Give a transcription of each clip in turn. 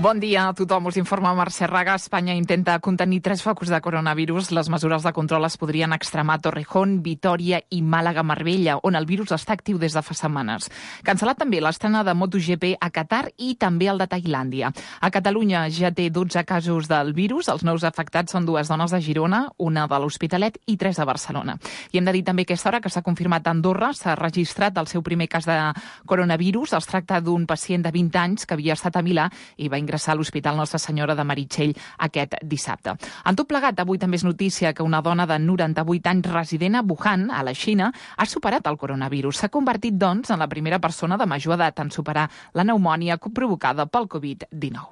Bon dia a tothom. Us informa Mercè Raga. Espanya intenta contenir 3 focus de coronavirus. Les mesures de control es podrien extremar a Torrejón, Vitòria i Màlaga-Marbella, on el virus està actiu des de fa setmanes. Cancel·lat també l'estrena de MotoGP a Qatar i també el de Tailàndia. A Catalunya ja té 12 casos del virus. Els nous afectats són 2 dones de Girona, una de l'Hospitalet i 3 de Barcelona. I hem de dir també a aquesta hora que s'ha confirmat a Andorra, s'ha registrat el seu primer cas de coronavirus. Es tracta d'un pacient de 20 anys que havia estat a Milà i va ingressar a l'Hospital Nostra Senyora de Meritxell aquest dissabte. En tot plegat, avui també és notícia que una dona de 98 anys resident a Wuhan, a la Xina, ha superat el coronavirus. S'ha convertit, doncs, en la primera persona de major edat en superar la pneumònia provocada pel Covid-19.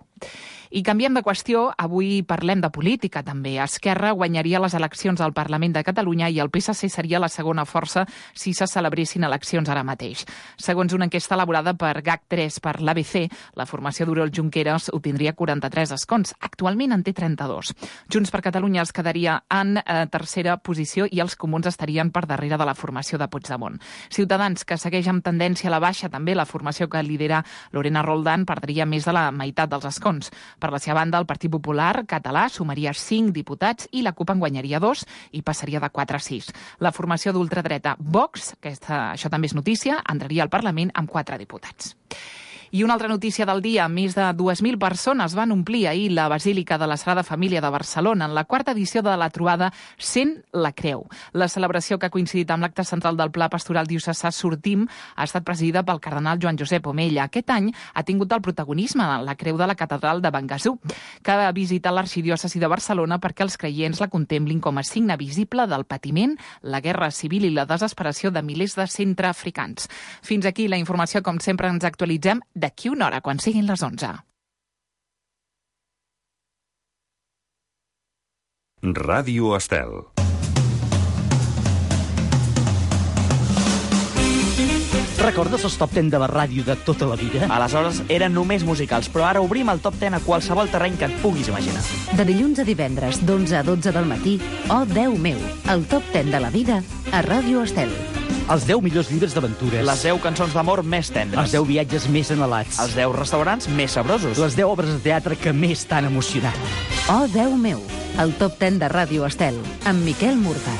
I canviem de qüestió, avui parlem de política també. Esquerra guanyaria les eleccions al Parlament de Catalunya i el PSC seria la segona força si se celebressin eleccions ara mateix. Segons una enquesta elaborada per GAC3 per l'ABC, la formació d'Oriol Junqueras obtindria 43 escons. Actualment en té 32. Junts per Catalunya es quedaria en tercera posició i els comuns estarien per darrere de la formació de Puigdemont. Ciutadans, que segueix amb tendència a la baixa també, la formació que lidera Lorena Roldán perdria més de la meitat dels escons. Per la seva banda, el Partit Popular català sumaria 5 diputats i la CUP en guanyaria 2 i passaria de 4 a 6. La formació d'ultradreta Vox, això també és notícia, entraria al Parlament amb 4 diputats. I una altra notícia del dia, més de 2.000 persones van omplir ahir la Basílica de la Sagrada Família de Barcelona en la 4ª edició de la trobada Sent la Creu. La celebració, que ha coincidit amb l'acte central del Pla Pastoral Diocesà Sortim, ha estat presidida pel cardenal Joan Josep Omella. Aquest any ha tingut el protagonisme la Creu de la Catedral de Bengasú, que ha visitat l'arxidiòcesi de Barcelona perquè els creients la contemplin com a signe visible del patiment, la guerra civil i la desesperació de milers de centreafricans. Fins aquí la informació. Com sempre, ens actualitzem d'aquí una hora, quan siguin les 11. Ràdio Estel. Recordes els top 10 de la ràdio de tota la vida? Aleshores eren només musicals, però ara obrim el top 10 a qualsevol terreny que et puguis imaginar. De dilluns a divendres, d'11 a 12 del matí, Oh, Déu meu, el top 10 de la vida a Ràdio Estel. Els 10 millors llibres d'aventures. Les 10 cançons d'amor més tendres. Els 10 viatges més anhelats. Els 10 restaurants més sabrosos. Les 10 obres de teatre que més t'han emocionat. Oh, Déu meu, el top 10 de Ràdio Estel, amb Miquel Murga.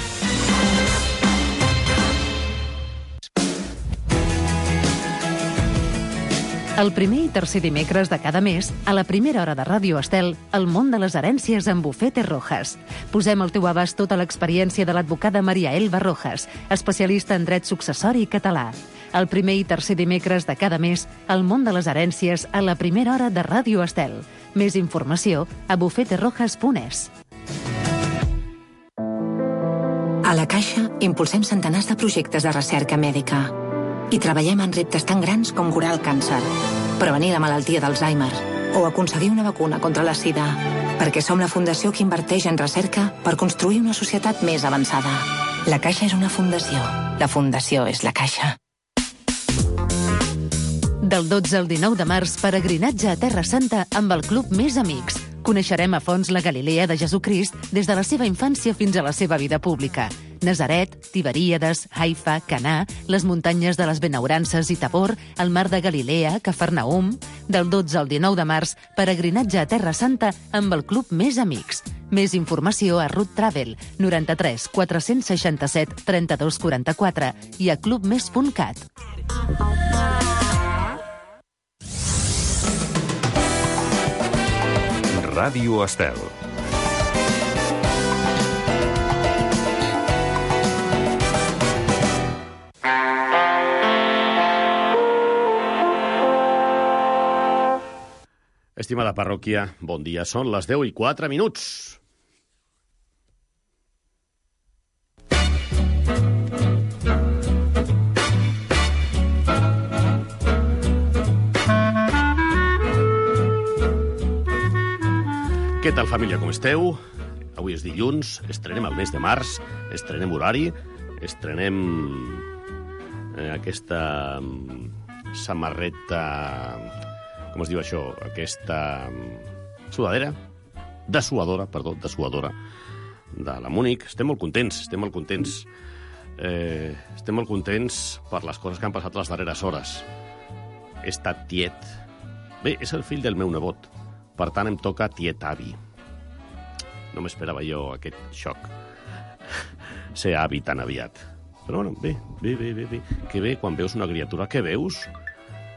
El primer i tercer dimecres de cada mes, a la primera hora de Ràdio Estel, el món de les herències amb Bufete Rojas. Posem al teu abast tota l'experiència de l'advocada Maria Elba Rojas, especialista en dret successori català. El primer i tercer dimecres de cada mes, el món de les herències a la primera hora de Ràdio Estel. Més informació a bufeterojas.es. A la Caixa impulsem centenars de projectes de recerca mèdica i treballem en reptes tan grans com curar el càncer, prevenir la malaltia d'Alzheimer o aconseguir una vacuna contra la sida, perquè som la fundació que inverteix en recerca per construir una societat més avançada. La Caixa és una fundació. La fundació és la Caixa. Del 12 al 19 de març, peregrinatge a Terra Santa amb el Club Més Amics. Coneixerem a fons la Galilea de Jesucrist des de la seva infància fins a la seva vida pública. Nazaret, Tiberíades, Haifa, Canà, les muntanyes de les Benaurances i Tabor, el mar de Galilea, Cafarnaum. Del 12 al 19 de març, peregrinatge a Terra Santa amb el Club Més Amics. Més informació a Route Travel, 93 467 32 44 i a clubmes.cat. Ràdio Estel. Estimada parròquia, bon dia. Són les 10:04. Què tal, família, com esteu? Avui és dilluns, estrenem el mes de març, estrenem horari, estrenem aquesta samarreta... Com es diu això? Aquesta sudadera, dessuadora de la Múnich. Estem molt contents. Estem molt contents per les coses que han passat les darreres hores. He estat tiet. Bé, és el fill del meu nebot. Per tant, em toca tiet avi. No m'esperava jo aquest xoc. Ser avi tan aviat. Però bueno, bé. Que bé quan veus una criatura. Què veus?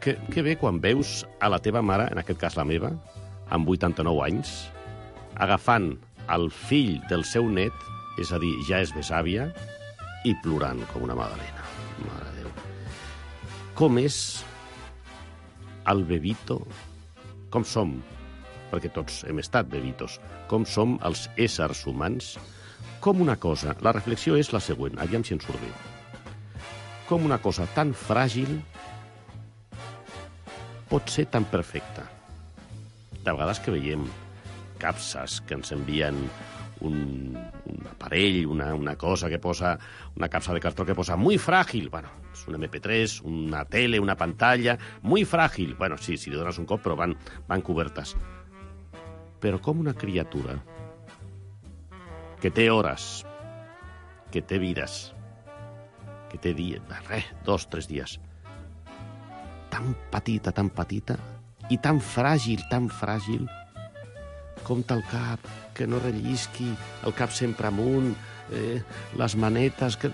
Que bé quan veus a la teva mare, en aquest cas la meva, amb 89 anys, agafant el fill del seu net, és a dir, ja és besàvia, i plorant com una magdalena. Mare de Déu. Com és el bebito? Com som? Perquè tots hem estat bebitos. Com som els éssers humans? Com una cosa, la reflexió és la següent, aviam si en surt bé. Com una cosa tan fràgil pot ser tan perfecta. De vegades que veiem capses que ens envien un aparell, una cosa que posa, una capsa de cartró que posa muy frágil. Bueno, és un MP3, una tele, una pantalla, muy frágil. Bueno, sí, si li dones un cop, però van cobertes. Però com una criatura que té hores, que té vides, que té dies, 2 o 3 dies, tan petita, i tan fràgil, com el cap, que no rellisqui, el cap sempre amunt, les manetes, que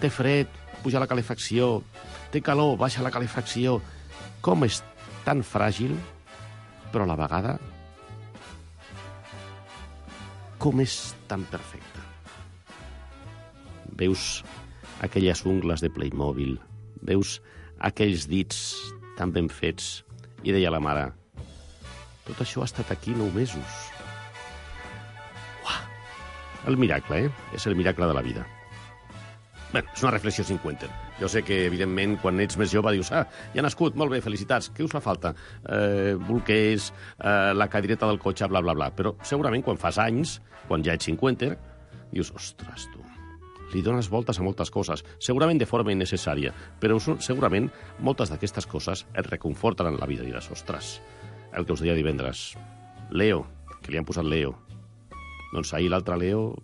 té fred, puja la calefacció, té calor, baixa la calefacció. Com és tan fràgil, però a la vegada com és tan perfecta. Veus aquelles ungles de Playmobil, veus aquells dits tan ben fets, i deia la mare, tot això ha estat aquí 9 mesos. Uah! El miracle, És el miracle de la vida. Bé, és una reflexió 50. Jo sé que, evidentment, quan ets més jove dius, ja ha nascut, molt bé, felicitats, què us fa falta? Bolquers, la cadireta del cotxe, bla, bla, bla. Però segurament quan fas anys, quan ja ets 50, dius, ostres, tu, li dones voltes a moltes coses, segurament de forma innecessària, però segurament moltes d'aquestes coses et reconforten en la vida. Diràs, ostres, el que us deia divendres, Leo, que li han posat Leo. Doncs ahir l'altre Leo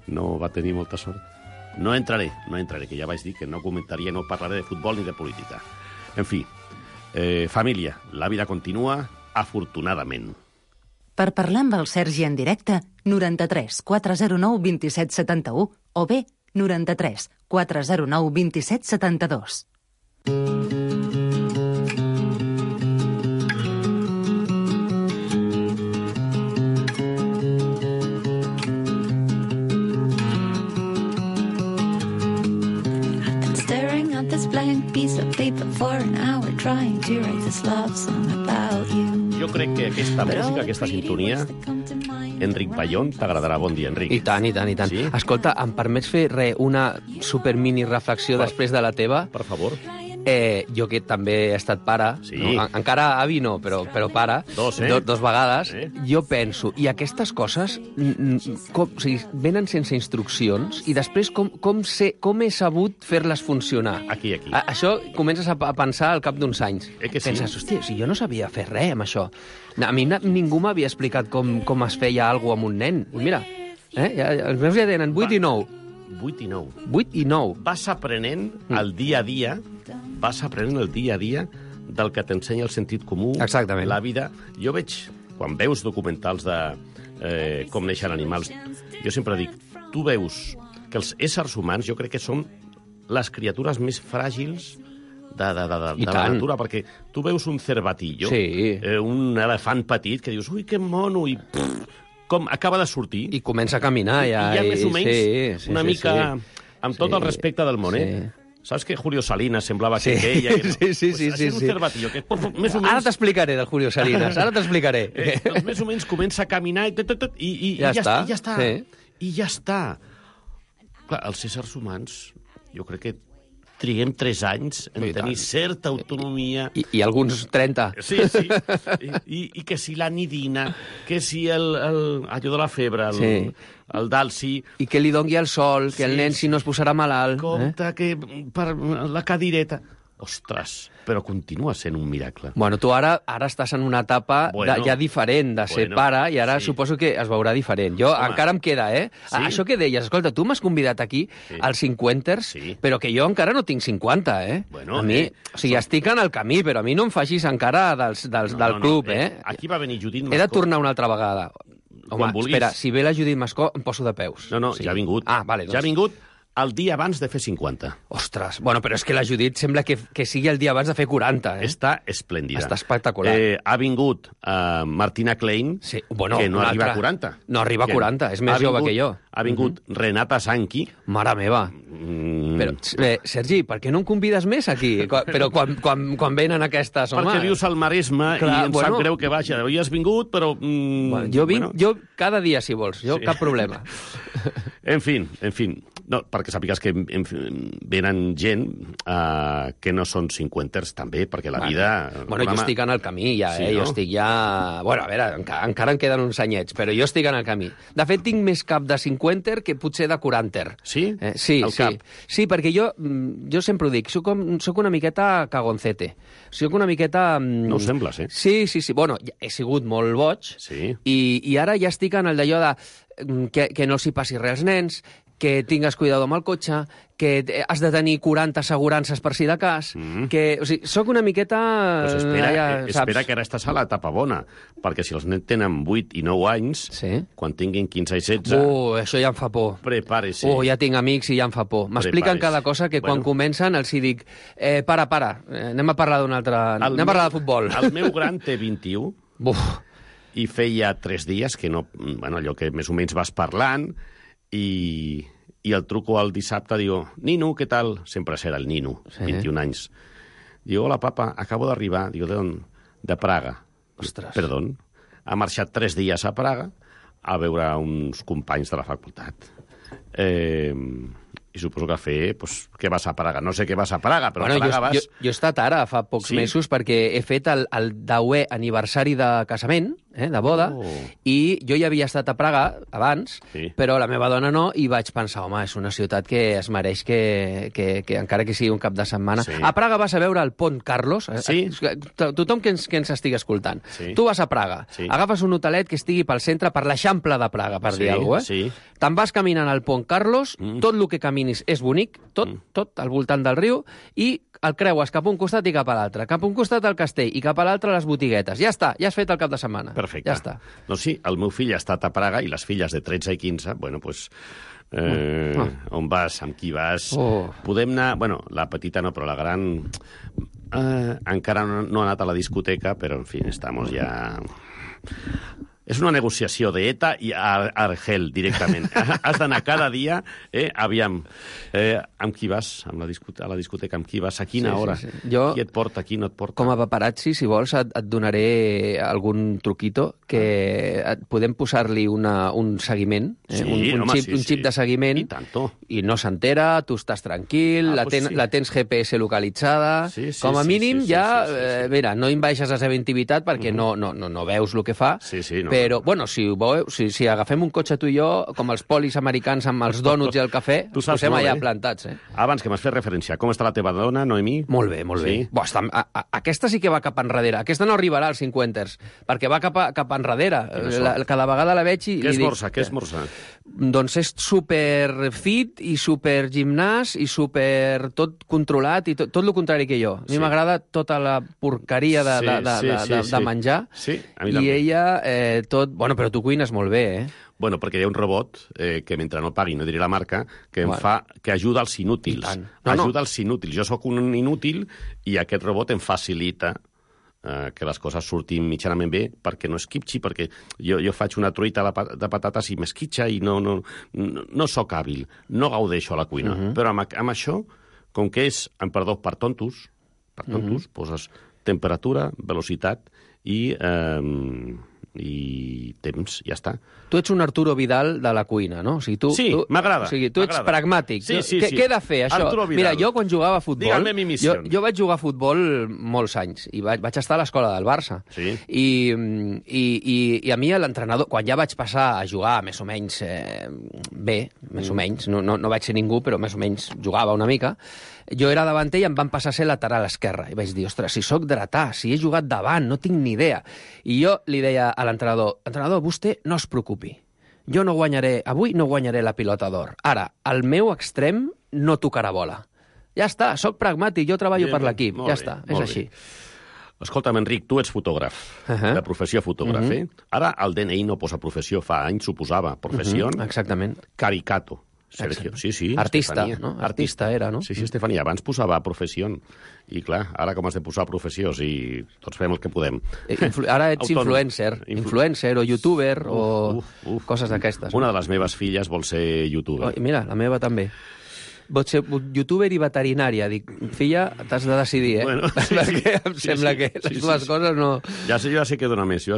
no va tenir molta sort. No entraré, que ja vaig dir que no comentaria, no parlaré de futbol ni de política. En fi, família, la vida continua, afortunadament. Per parlar amb el Sergi en directe, 93 409 27 71 o bé 93 409 27 72. Jo crec que aquesta música, aquesta sintonia, Enric Bayón, t'agradarà. Bon dia, Enric. I tant. Sí? Escolta, em permets fer una supermini reflexió després de la teva? Per favor. Jo que també he estat pare, sí. No? Encara avi no, però pare, dos vegades, jo penso, i aquestes coses venen sense instruccions i després com he sabut fer-les funcionar? Aquí. Això comences a pensar al cap d'uns anys. Que sí? Penses, hòstia, si jo no sabia fer res amb això. A mi ningú m'havia explicat com es feia alguna cosa amb un nen. I mira, els meus ja tenen 8 i 9. 8 i 9. 8 i 9. Vas aprenent el dia a dia, del que t'ensenya el sentit comú. Exactament. La vida. Jo veig, quan veus documentals de com neixen animals, jo sempre dic, tu veus que els éssers humans jo crec que són les criatures més fràgils de la natura, perquè tu veus un cervatillo, sí. Un elefant petit, que dius, ui, que mono, i com acaba de sortir. I comença a caminar ja. I ja més o menys una mica, amb tot el respecte del món, sí. Saps que Julio Salinas semblava que aquella... Que no? Sí. És un cervatillo que més o menys... Ara t'explicaré del Julio Salinas, doncs més o menys comença a caminar i ja està. Sí. I ja està. Clar, els éssers humans, jo crec que triguem 3 anys en tenir certa autonomia. I alguns 30. Sí. I que si la nidina, que si allò de la febre, el dalsi... I que li dongui el sol, que el nen si no es posarà malalt. Compte que per la cadireta... Ostres, però continua sent un miracle. Bueno, tu ara estàs en una etapa ja diferent de ser pare i ara suposo que es veurà diferent. Jo encara em queda, Sí? Això que deies, escolta, tu m'has convidat aquí als 50ers, però que jo encara no tinc 50, Bueno, a mi, o sigui, estic en el camí, però a mi no em facis encara del club, Aquí va venir Judit Mascó. He de tornar una altra vegada. Home, espera, si ve la Judit Mascó, em poso de peus. No, ja ha vingut. Ah, vale, doncs. Ja ha vingut el dia abans de fer 50. Ostres, bueno, però és que la Judit sembla que sigui el dia abans de fer 40, Està esplèndida. Està espectacular. Ha vingut Martina Klein, que no arriba a 40. No arriba a 40, és més jove que jo. Ha vingut Renata Sanqui. Mare meva. Però, Sergi, per què no em convides més aquí? Però quan venen aquestes, home... Perquè vius al Maresme i em sap greu que vagi. Avui has vingut, però... Jo vinc cada dia, si vols. Jo, cap problema. En fi. No, perquè sàpigues que venen gent que no són 50ers també, perquè la vida... Bueno, jo estic en el camí ja, Sí, no? Jo estic ja... Bueno, a veure, encara em queden uns anyets, però jo estic en el camí. De fet, tinc més cap de 50er que potser de 40er. Sí? Sí, El sí. cap? Sí, perquè jo sempre ho dic, soc una miqueta cagoncete. Soc una miqueta... No ho sembles, Sí. Bueno, he sigut molt boig, Sí. i ara ja estic en el d'allò de que no els hi passi res als nens, que tingues cuidado amb el cotxe, que has de tenir 40 assegurances per si de cas, que... O sigui, soc una miqueta... Pues espera que ara estàs a l'etapa bona, perquè si els nens tenen 8 i 9 anys, quan tinguin 15 i 16... això ja em fa por. Prepari-s'hi. Ja tinc amics i ja em fa por. M'expliquen cada cosa que quan comencen els hi dic para, anem a parlar d'un altre... Anem a parlar de futbol. El meu gran té 21 i feia 3 dies que no... Bueno, allò que més o menys vas parlant i el truco el dissabte, digo, Nino, què tal? Sempre serà el Nino, 21 anys. Digo, hola, papa, acabo d'arribar. Digo, ¿de dónde? De Praga. Ostres. Perdón. Ha marxat 3 dies a Praga a veure uns companys de la facultat. I suposo que què vas a Praga? No sé què vas a Praga, però a Praga vas... Jo he estat ara, fa pocs mesos, perquè he fet el 10è aniversari de casament, de boda, i jo ja havia estat a Praga abans, però la meva dona no, i vaig pensar, home, és una ciutat que es mereix que encara que sigui un cap de setmana... A Praga vas a veure el Pont Carlos, tothom que ens estigui escoltant. Tu vas a Praga, agafes un hotelet que estigui pel centre, per l'Eixample de Praga, per dir alguna cosa, te'n vas caminant al Pont Carlos, tot el que caminis és bonic, tot al voltant del riu, i el creues cap a un costat i cap a l'altre, cap a un costat al castell i cap a l'altre les botiguetes. Ja està, ja has fet el cap de setmana. Perfecte. Ja està. Doncs sí, el meu fill ha estat a Praga i les filles de 13 i 15, bueno, doncs... On vas, amb qui vas... Podem anar... Bueno, la petita no, però la gran... encara no ha anat a la discoteca, però, en fi, estamos ja... És una negociació d'ETA i Argel, directament. Has d'anar cada dia, aviam, amb qui vas a la discoteca, amb qui vas, a quina hora, qui et porta, qui no et porta. Com a paparazzi, si vols, et donaré algun truquito, que podem posar-li un seguiment, un xip de seguiment, i no s'entera, tu estàs tranquil, la tens GPS localitzada, com a mínim ja, mira, no envaixes la seva intimitat perquè no veus el que fa, però, bueno, si agafem un cotxe tu i jo, com els polis americans amb els dònuts i el cafè, ens posem allà plantats. Abans que m'has fet referència, com està la teva dona, Noemí? Molt bé, molt bé. Aquesta sí que va cap enrere. Aquesta no arribarà als 50ers, perquè va cap enrere. Cada vegada la veig i... Què esmorza? Doncs és super fit i super gimnàs i super tot controlat i tot el contrari que jo. A mi m'agrada tota la porqueria de menjar. Sí, a mi també. I ella tot... Bueno, però tu cuines molt bé, Bueno, perquè hi ha un robot que, mentre no pagui, no diré la marca, que que ajuda els inútils. Ajuda els inútils. Jo sóc un inútil i aquest robot em facilita que les coses surtin mitjanament bé, perquè no esquitxi, perquè jo faig una truita de patates i m'esquitxa i no sóc hàbil, no gaudeixo a la cuina. Però amb això, com que és, amb perdó, per tontos, poses temperatura, velocitat i temps, ja està. Tu ets un Arturo Vidal de la cuina, no? O sigui, sí, m'agrada. O sigui, tu ets pragmàtic. Sí. Què he de fer, això? Mira, jo quan jugava a futbol... Dígame mi missió. Jo vaig jugar a futbol molts anys i vaig estar a l'escola del Barça. Sí. I a mi l'entrenador, quan ja vaig passar a jugar més o menys bé, més o menys, no vaig ser ningú, però més o menys jugava una mica, Jo era davanter i em van passar a ser lateral esquerre. I vaig dir, ostres, si sóc dretà, si he jugat davant, no tinc ni idea. I jo li deia a l'entrenador, vostè no es preocupi. Jo avui no guanyaré la pilota d'or. Ara, el meu extrem no tocarà bola. Ja està, sóc pragmàtic, jo treballo per l'equip. Ja està, és així. Escolta'm, Enric, tu ets fotògraf, de professió fotògraf, Ara el DNI no posa professió, fa anys ho posava. Professió, exactament. Caricato. Sergio, sí. Artista, no? Artista era, no? Sí, Estefania, abans posava professió. I clar, ara com has de posar professió? Si tots fem el que podem. Ara ets influencer o youtuber o coses d'aquestes. Una de les meves filles vol ser youtuber. Mira, la meva també. Pot ser youtuber i veterinària. Dic, filla, t'has de decidir, Bueno, perquè em sembla que les dues coses no... Ja sé que dona més,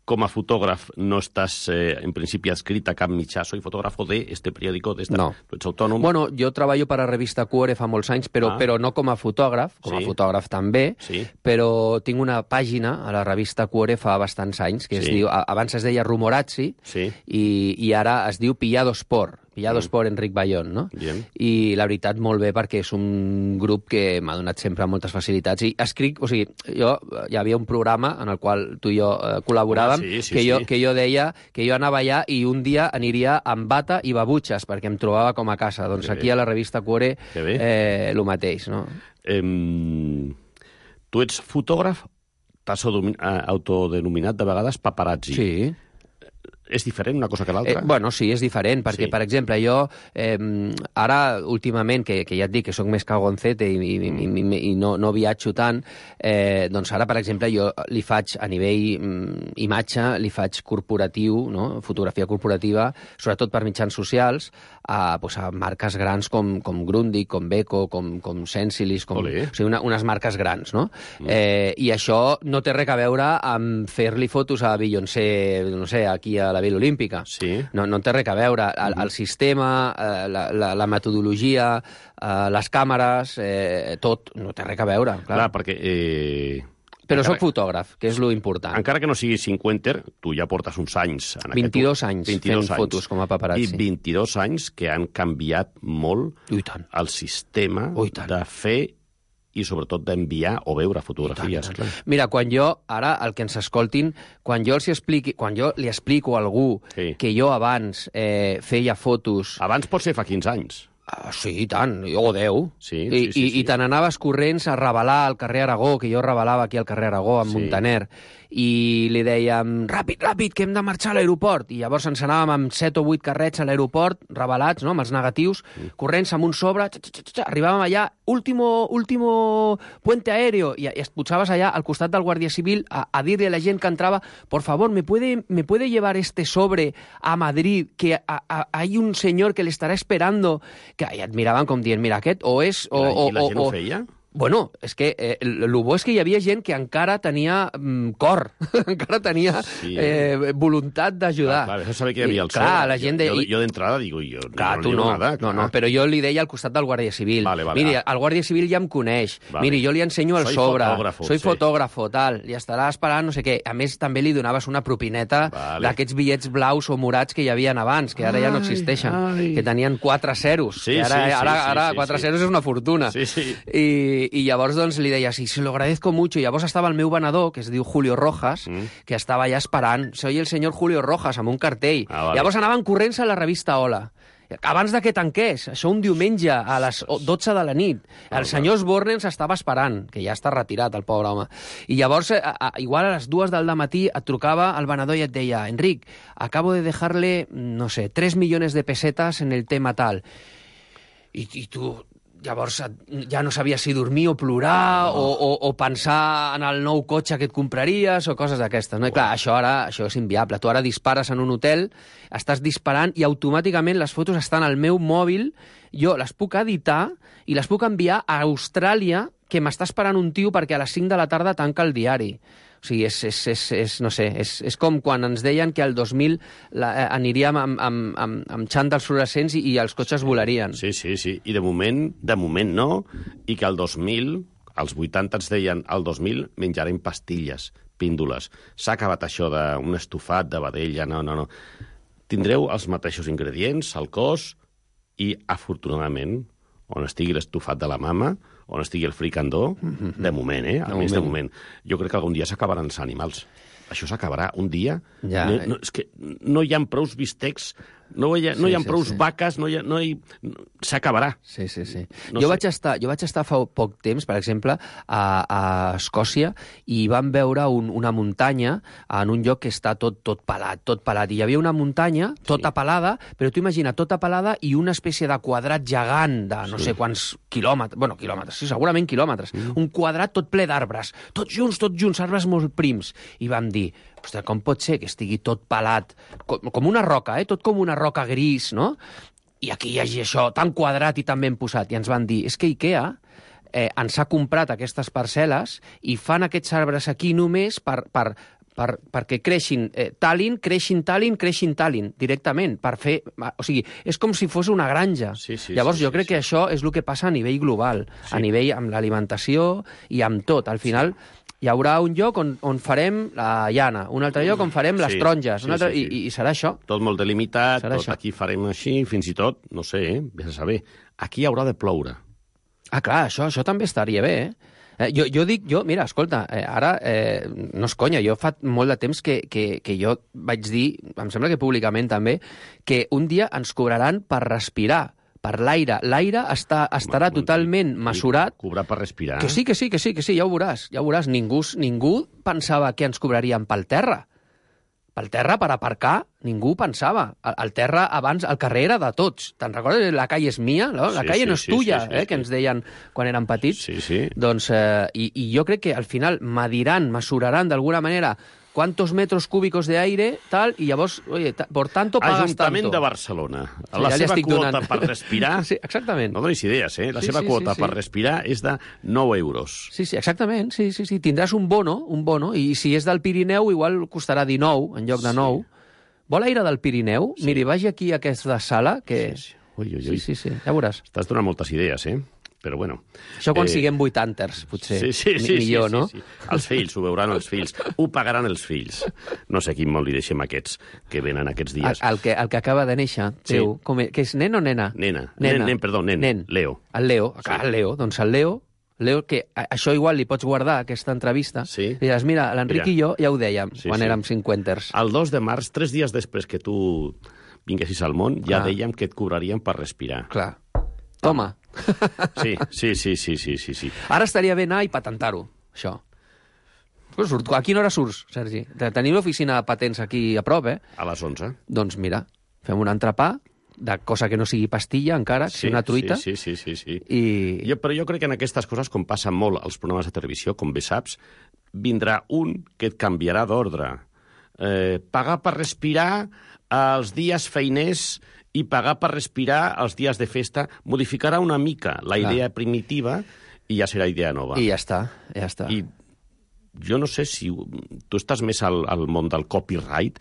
Com a fotògraf no estàs, en principi, adscrit a cap mitjà. Soy fotógrafo de este periódico, de esta... No. Tu ets autònom. Bueno, jo treballo per a revista Cuore fa molts anys, però no com a fotògraf, a fotògraf també, però tinc una pàgina a la revista Cuore fa bastants anys, que es diu, abans es deia Rumorazzi, i ara es diu Pillado Sport. Pillado Sport Enric Bayón, no? I la veritat, molt bé, perquè és un grup que m'ha donat sempre moltes facilitats. I escric, o sigui, hi havia un programa en el qual tu i jo col·laboràvem, que jo deia que jo anava allà i un dia aniria amb bata i babutxes, perquè em trobava com a casa. Doncs aquí a la revista Cuore el mateix, no? Tu ets fotògraf, t'has autodenominat de vegades paparazzi. Sí. És diferent una cosa que l'altra? Bueno, sí, és diferent, perquè, per exemple, jo ara, últimament, que ja et dic que sóc més cagoncete i no viatjo tant, doncs ara, per exemple, jo li faig, a nivell imatge, li faig corporatiu, no? Fotografia corporativa, sobretot per mitjans socials, a marques grans com Grundig, com Beko, com Sensilis, o sigui, unes marques grans, no? I això no té res a veure amb fer-li fotos a Beyoncé, no sé, aquí a la Vila Olímpica. No té res a veure. El sistema, la metodologia, les càmeres, tot no té res a veure. Clar, perquè... Però soc fotògraf, que és lo important. Encara que no siguis cinquenter, tu ja portes uns anys... 22 anys fent fotos com a paparazzi. I 22 anys que han canviat molt el sistema de fer i sobretot d'enviar o veure fotografies. Mira, quan jo, ara, el que ens escoltin, quan jo li explico a algú que jo abans feia fotos... Abans pot ser fa 15 anys. Sí, i tant, o 10. I te n'anaves corrents a revelar al carrer Aragó, que jo revelava aquí al carrer Aragó, amb Montaner, i li dèiem, ràpid, que hem de marxar a l'aeroport. I llavors ens anàvem amb 7 o 8 carrets a l'aeroport, revelats, no?, amb els negatius, corrents amb un sobre, arribàvem allà, último puente aéreo, i es posaves allà al costat del Guàrdia Civil a dir-li a la gent que entrava, por favor, ¿me puede llevar este sobre a Madrid, que hay un señor que le estará esperando? Que et miraven com dient, mira, aquest o és... I la gent ho feia? Bueno, és que el bo és que hi havia gent que encara tenia cor, encara tenia voluntat d'ajudar. Clar, això sabia que hi havia el sobre. La gent deia... Jo d'entrada digo, tu no, però jo li deia al costat del Guàrdia Civil. Miri, el Guàrdia Civil ja em coneix. Miri, jo li ensenyo el sobre. Soy fotògrafo, tal. I estarà esperant no sé què. A més, també li donaves una propineta d'aquests bitllets blaus o morats que hi havia abans, que ara ja no existeixen, que tenien 4 zeros. Ara 4 zeros és una fortuna. I llavors doncs li deia, sí, se lo agradezco mucho. I llavors estava el meu venedor, que es diu Julio Rojas, que estava allà esperant. Soy el senyor Julio Rojas, amb un cartell. Llavors anaven corrents a la revista Hola. Abans de que tanqués, això un diumenge a les 12 de la nit. El senyor Osborne ens estava esperant, que ja està retirat, el pobre home. I llavors, igual a les 2 del matí, et trucava el venedor i et deia, Enric, acabo de dejarle, no sé, 3 millones de pesetas en el tema tal. I tu... Llavors ja no sabies si dormir o plorar o pensar en el nou cotxe que et compraries o coses d'aquestes. No? I clar, això és inviable. Tu ara dispares en un hotel, estàs disparant i automàticament les fotos estan al meu mòbil, jo les puc editar i les puc enviar a Austràlia, que m'està esperant un tio perquè a les 5 de la tarda tanca el diari. O sigui, no sé, és com quan ens deien que el 2000 aniríem amb xandals fluorescents i els cotxes volarien. Sí. I de moment no, i que el 2000, als 80 ens deien, el 2000 menjarem pastilles, píndoles. S'ha acabat això d'un estofat de vedella, no. Tindreu els mateixos ingredients, el cos, I, afortunadament, on estigui l'estufat de la mama, on estigui el fricandó, de moment, almenys de moment. Jo crec que algun dia s'acabaran els animals. Això s'acabarà un dia. Ja. És que no hi ha prous bistecs, no hi ha prous vaques, s'acabarà. Sí. Jo vaig estar fa poc temps, per exemple, a Escòcia, i vam veure una muntanya en un lloc que està tot pelat. I hi havia una muntanya tota pelada, però tu imagina, tota pelada i una espècie de quadrat gegant de no sé quants quilòmetres, sí, segurament quilòmetres. Un quadrat tot ple d'arbres, tots junts, arbres molt prims. I vam dir, ostres, com pot ser que estigui tot pelat, com una roca, tot com una roca gris, no? I aquí hi hagi això tan quadrat i tan ben posat. I ens van dir, és que IKEA ens ha comprat aquestes parcel·les i fan aquests arbres aquí només perquè creixin Tallinn directament, per fer... O sigui, és com si fos una granja. Llavors, jo crec que això és el que passa a nivell global, a nivell amb l'alimentació i amb tot. Al final, hi haurà un lloc on farem la llana, un altre lloc on farem les taronges, i serà això. Tot molt delimitat, aquí farem així, fins i tot, no sé, vés a saber, aquí haurà de ploure. Ah, clar, això també estaria bé, mira, escolta, ara, no és conya, jo fa molt de temps que jo vaig dir, em sembla que públicament també, que un dia ens cobraran per respirar, per l'aire. L'aire estarà totalment mesurat. Cobrar per respirar. Que sí, ja ho veuràs. Ningú pensava que ens cobrarien pel terra. Pel terra, per aparcar, ningú pensava. El terra, abans, el carrer era de tots. Te'n recordes? La calle és mia, no? La calle no és tuya, que ens deien quan érem petits. Sí. Doncs, i jo crec que al final mesuraran d'alguna manera cuántos metros cúbicos de aire, tal, i llavors, oye, por tanto pagas Ajuntament tanto. de Barcelona. La seva quota per respirar... Sí, exactament. No donis idees, La seva quota per respirar és de 9 euros. Sí, exactament. Sí. Tindràs un bono, i si és del Pirineu, igual costarà 19 en lloc de 9. Vol aire del Pirineu? Sí. Miri, vagi aquí a aquesta sala, que... Sí. Ui. Sí, ja veuràs. Estàs donant moltes idees, Però bueno... Això quan siguem 80ers, potser. Millor, no? Sí. Els fills, ho veuran els fills. Ho pagaran els fills. No sé quin mot li deixem a aquests que venen aquests dies. El que acaba de néixer, teu, que és nen o nena? Nen. Leo. El Leo, el Leo. Doncs el Leo, que això igual li pots guardar, aquesta entrevista. Sí. I diràs, mira, l'Enric i jo ja ho dèiem quan érem 50ers. El 2 de març, 3 dies després que tu vinguessis al món, ja dèiem que et cobrarien per respirar. Clar. Toma. Sí. Ara estaria bé anar i patentar-ho, això. A quina hora surts, Sergi? Tenim l'oficina de patents aquí a prop, A les 11. Doncs mira, fem un entrepà, de cosa que no sigui pastilla encara, que sigui una truita. Sí. Però jo crec que en aquestes coses, com passa molt als programes de televisió, com bé saps, vindrà un que et canviarà d'ordre. Pagar per respirar els dies feiners i pagar per respirar els dies de festa modificarà una mica la idea primitiva i ja serà idea nova. I ja està. I jo no sé si tu estàs més al món del copyright,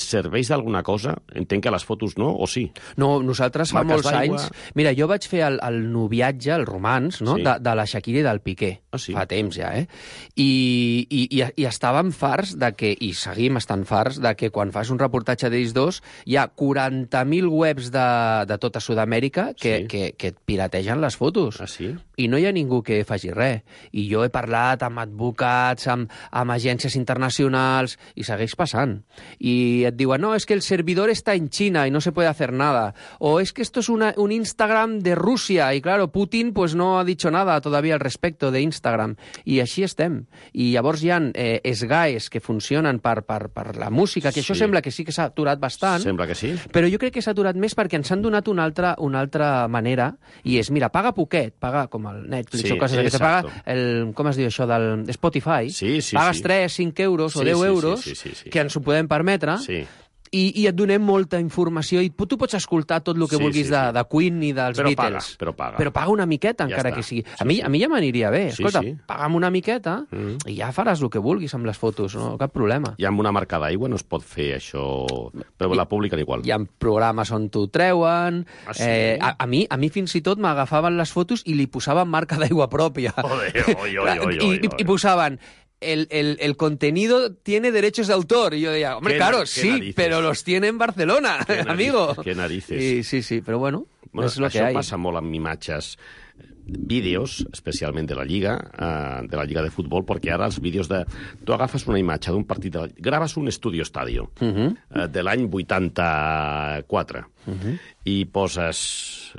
serveix d'alguna cosa? Entenc que les fotos no, o sí? No, nosaltres fa molts anys... Mira, jo vaig fer el noviatge, el romanç, no? De la Shakira i del Piqué. Fa temps ja, I estàvem farts de que, i seguim estant farts, de que quan fas un reportatge d'ells dos hi ha 40.000 webs de tota Sud-amèrica que et pirategen les fotos. I no hi ha ningú que faci res. I jo he parlat amb advocats, amb agències internacionals, i segueix passant. I et diuen, no, es que el servidor está en China y no se puede hacer nada. O es que esto es un Instagram de Rusia. Y claro, Putin pues no ha dicho nada todavía al respecto de Instagram. I així estem. I llavors hi ha SGAEs que funcionen per la música, que això sembla que sí que s'ha aturat bastant. Sembla que sí. Però jo crec que s'ha aturat més perquè ens han donat una altra manera, i és, mira, paga poquet, paga com el Netflix o coses que se paga, com es diu això, del Spotify, pagues 3, 5 euros o 10 euros, que ens ho podem permetre, i et donem molta informació, i tu pots escoltar tot el que vulguis de Queen i dels Beatles. Però paga. Però paga una miqueta, encara que sigui. A mi ja m'aniria bé. Escolta, paga'm una miqueta i ja faràs el que vulguis amb les fotos, no? Cap problema. I amb una marca d'aigua no es pot fer això... Però la publiquen igual. Hi ha programes on t'ho treuen. A mi fins i tot m'agafaven les fotos i li posaven marca d'aigua pròpia. I posaven... el contenido tiene derechos de autor. Y yo decía, hombre, claro, sí, narices. Pero los tiene en Barcelona, amigo. Qué narices. Sí, però bueno és el que hay. Això passa molt amb imatges, vídeos, especialment de la Lliga de futbol, perquè ara els vídeos de... Tu agafes una imatge d'un partit, graves un Estudio Estadio de l'any 84 i poses...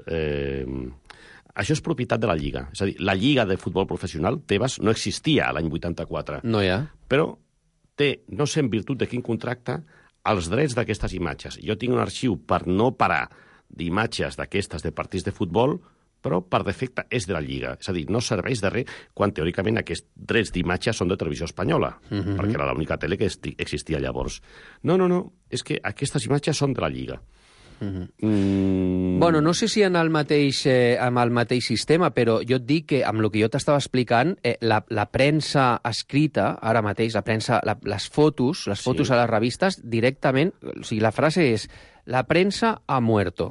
Això és propietat de la Lliga. És a dir, la Lliga de futbol professional, Tebas, no existia l'any 84. No hi ha. Però té, no sé en virtut de quin contracte, els drets d'aquestes imatges. Jo tinc un arxiu per no parar d'imatges d'aquestes de partits de futbol, però per defecte és de la Lliga. És a dir, no serveix de res quan teòricament aquests drets d'imatge són de Televisió Espanyola, perquè era l'única tele que existia llavors. No, és que aquestes imatges són de la Lliga. Bueno, no sé si amb el mateix sistema, però jo et dic que amb el que jo t'estava explicant, la premsa escrita, ara mateix, les fotos a les revistes, directament, o sigui, la frase és la premsa ha muerto.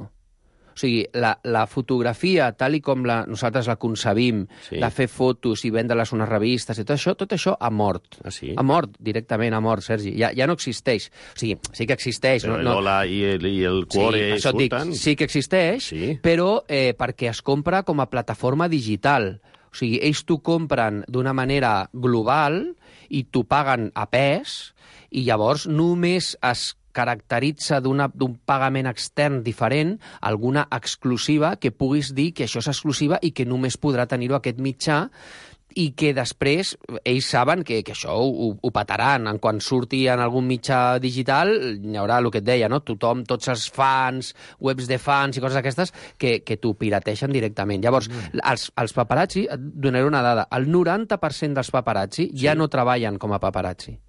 O sigui, la fotografia, tal i com nosaltres la concebim, de fer fotos i vendre-les a unes revistes i tot això ha mort. Ah, sí? Ha mort, directament ha mort, Sergi. Ja no existeix. O sigui, sí que existeix. Però l'Ola i el Cuore surten? Sí que existeix, però perquè es compra com a plataforma digital. O sigui, ells t'ho compren d'una manera global i t'ho paguen a pes i llavors només es caracteritza d'un pagament extern diferent alguna exclusiva que puguis dir que això és exclusiva i que només podrà tenir-ho aquest mitjà i que després ells saben que això ho petaran. Quan surti en algun mitjà digital hi haurà el que et deia, no? Tothom, tots els fans, webs de fans i coses d'aquestes que t'ho pirateixen directament. Llavors, els paparazzi, et donaré una dada, el 90% dels paparazzi ja no treballen com a paparazzi.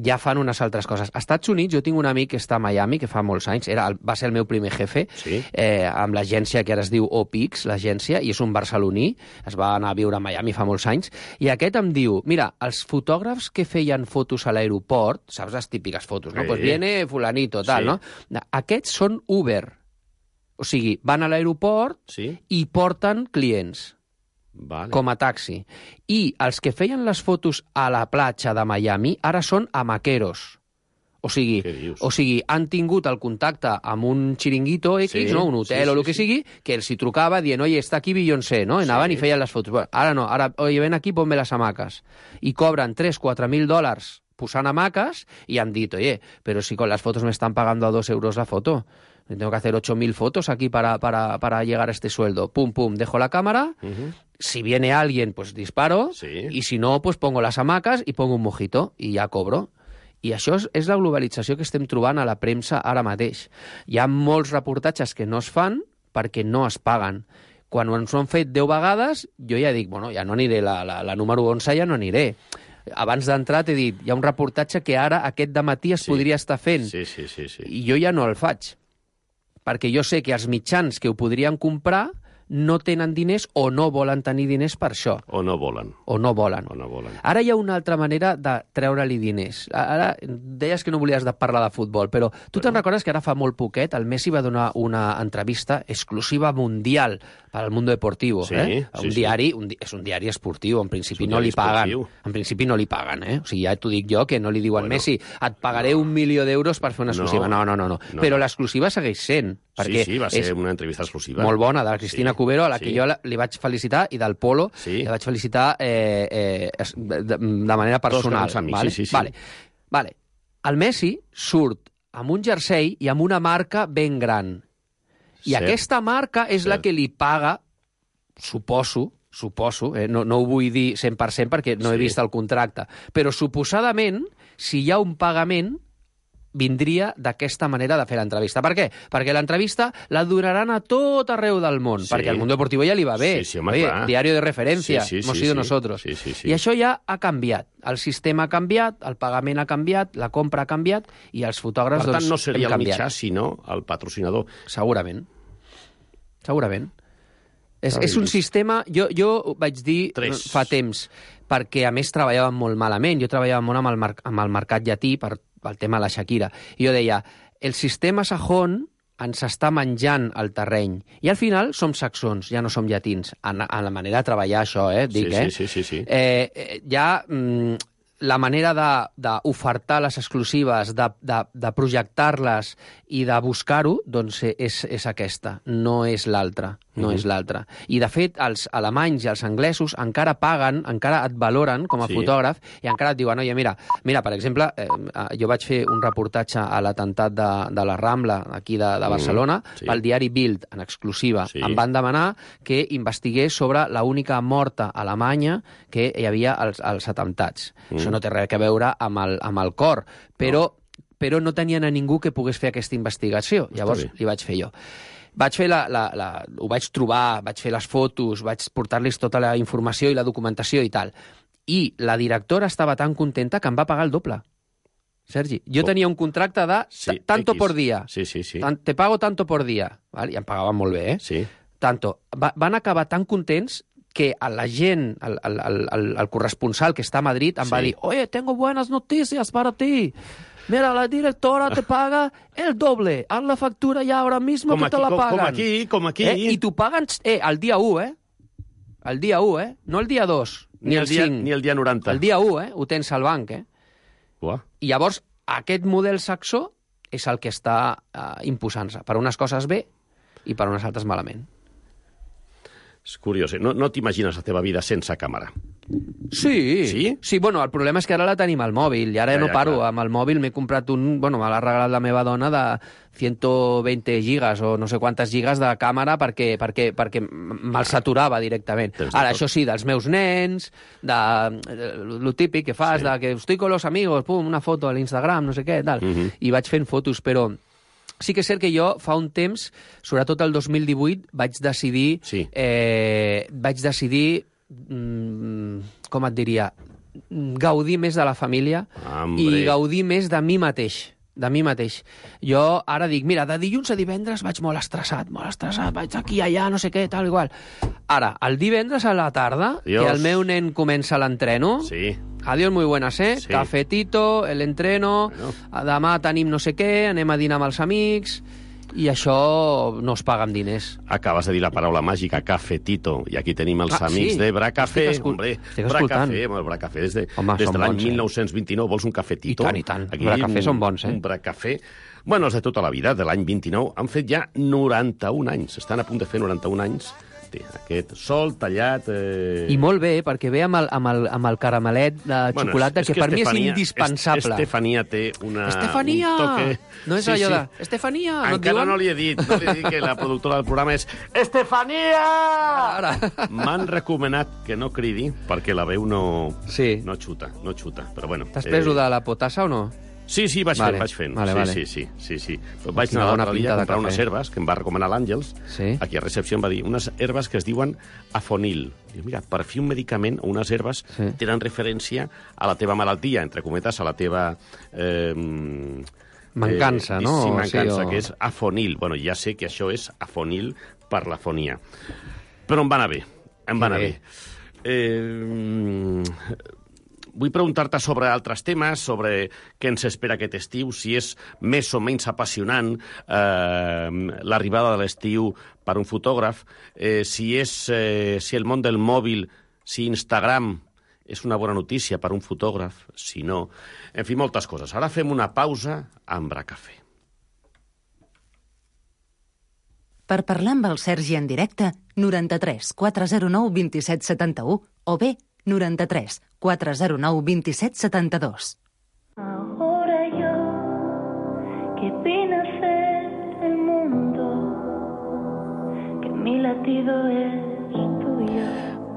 Ja fan unes altres coses. Als Estats Units jo tinc un amic que està a Miami, que fa molts anys, va ser el meu primer jefe, amb l'agència que ara es diu OPIX, l'agència, i és un barceloní, es va anar a viure a Miami fa molts anys, i aquest em diu, mira, els fotògrafs que feien fotos a l'aeroport, saps les típiques fotos, no? Pues viene fulanito, tal, no? Aquests són Uber. O sigui, van a l'aeroport i porten clients. Com a taxi. I els que feien les fotos a la platja de Miami ara són amaqueros. O sigui, han tingut el contacte amb un xiringuito X, no? Un hotel o el que sigui, que els hi trucava dient, oye, està aquí Beyoncé, no? Anaven i feien les fotos. Bueno, ara no, oye, ven aquí, ponme les hamaques. I cobren $3.000-4.000 posant hamaques i han dit, oye, pero si con las fotos me están pagando a 2 euros la foto, tengo que hacer 8.000 fotos aquí para llegar a este sueldo. Pum, pum, dejo la cámara, si viene alguien, pues disparo, y si no, pues pongo las hamacas y pongo un mojito, i ja cobro. I això és la globalització que estem trobant a la premsa ara mateix. Hi ha molts reportatges que no es fan perquè no es paguen. Quan ens ho han fet 10 vegades, jo ja dic, bueno, ja no aniré, la número 11 ja no aniré. Abans d'entrar t'he dit, hi ha un reportatge que ara, aquest dematí, es podria estar fent. I jo ja no el faig. Perquè jo sé que els mitjans que ho podrien comprar no tenen diners o no volen tenir diners per això. O no volen. Ara hi ha una altra manera de treure-li diners. Ara deies que no volies parlar de futbol, però tu te'n recordes que ara fa molt poquet el Messi va donar una entrevista exclusiva mundial per al Mundo Deportivo. Diari, és un diari esportiu, en principi no li paguen. En principi no li paguen, O sigui, ja t'ho dic jo, que no li diuen Messi, et pagaré 1 milió d'euros per fer una exclusiva. No. Però l'exclusiva segueix sent. Sí, va ser una entrevista exclusiva. Molt bona, de la Cristina Cubero, a la que jo li vaig felicitar, i del Polo li vaig felicitar de manera personal. Vale. El Messi surt amb un jersei i amb una marca ben gran. I aquesta marca és la que li paga, suposo, no ho vull dir 100% perquè no he vist el contracte, però suposadament, si hi ha un pagament, vindria d'aquesta manera de fer l'entrevista. Per què? Perquè l'entrevista la donaran a tot arreu del món, perquè al Mundo Deportivo ja li va bé. Diario de referència, hemos sido nosotros. I això ja ha canviat. El sistema ha canviat, el pagament ha canviat, la compra ha canviat, i els fotògrafs hem canviat. Per tant, no seria el mitjà, sinó el patrocinador. Segurament. És un sistema... Jo vaig dir fa temps, perquè a més treballàvem molt malament. Jo treballava molt amb el mercat llatí pel tema de la Shakira. I jo deia, el sistema sajón ens està menjant el terreny. I al final som saxons, ja no som llatins. En la manera de treballar això, dic, Sí. Ja la manera d'ofertar les exclusives, de projectar-les i de buscar-ho, doncs és aquesta, no és l'altra. No és l'altra. I, de fet, els alemanys i els anglesos encara paguen, encara et valoren com a fotògraf i encara et diuen, oye, mira, per exemple, jo vaig fer un reportatge a l'atemptat de la Rambla, aquí de Barcelona, pel diari Bild, en exclusiva. Em van demanar que investigués sobre l'única morta alemanya que hi havia als atemptats. Això no té res a veure amb el cor, però no tenien a ningú que pogués fer aquesta investigació. Llavors li vaig fer jo. Ho vaig trobar, vaig fer les fotos, vaig portar-los tota la informació i la documentació i tal. I la directora estava tan contenta que em va pagar el doble. Sergi, jo tenia un contracte de tanto por día. Te pago tanto por día. I em pagaven molt bé, Tanto. Van acabar tan contents que a la gent, el corresponsal que està a Madrid, em va dir, oye, tengo buenas noticias para ti. Mira, la directora te paga el doble. Haz la factura ya ahora mismo que te la pagan. Com aquí. I t'ho paguen el dia 1, El dia 1, No el dia 2, ni el 5. Ni el dia 90. El dia 1, Ho tens al banc, I llavors, aquest model saxó és el que està imposant-se. Per unes coses bé i per unes altres malament. És curiós, no t'imagines la teva vida sense càmera. Sí, bueno, el problema és que ara la tenim al mòbil, i ara no paro. Amb el mòbil m'he comprat me l'ha regalat la meva dona de 120 gigas o no sé quantes gigas de càmera perquè me'l saturava directament. Ara, això sí, dels meus nens, lo típic que fas, de que estoy con los amigos, pum, una foto a l'Instagram, no sé què, tal, i vaig fent fotos, però sí que és cert que jo fa un temps, sobretot el 2018, vaig decidir, com et diria, gaudir més de la família i gaudir més de mi mateix. Jo ara dic, mira, de dilluns a divendres vaig molt estressat, vaig aquí, allà, no sé què, tal, igual. Ara, el divendres a la tarda, que el meu nen comença l'entreno, adiós, muy buenas, cafetito, l'entreno, demà tenim no sé què, anem a dinar amb els amics, i això no es paga amb diners. Acabes de dir la paraula màgica, cafetito, i aquí tenim els amics de Bracafé. Bracafé des de l'any 1929. Vols un cafetito? I tant. Bracafé són bons, Un Bracafé. Bueno, els de tota la vida, de l'any 29, han fet ja 91 anys. Estan a punt de fer 91 anys. Aquest sol tallat... I molt bé, perquè ve amb el caramelet de xocolata, que per mi és indispensable. Estefania té un toque... No és allò de... Estefania! Encara no li he dit que la productora del programa és Estefania! M'han recomanat que no cridi, perquè la veu no xuta, però bueno... T'has pres de la potassa o no? Sí, vaig fent. Sí. Vaig anar l'altre dia a comprar unes herbes que em va recomanar l'Àngels. Aquí a recepció em va dir unes herbes que es diuen afonil. Diu, mira, per fi un medicament o unes herbes tenen referència a la teva malaltia, entre cometes, a la teva... mancança, no? Sí, mancança, que és afonil. Bueno, ja sé que això és afonil per l'afonia. Però em va anar bé. Vull preguntar-te sobre altres temes, sobre què ens espera aquest estiu, si és més o menys apassionant l'arribada de l'estiu per un fotògraf, si el món del mòbil, si Instagram és una bona notícia per un fotògraf, si no... En fi, moltes coses. Ara fem una pausa amb Bracafé. Per parlar amb el Sergi en directe, 93 409 27 71 o bé 93 409 27 72. Ahora yo, que vine a ser el mundo, que mi latido es tuyo.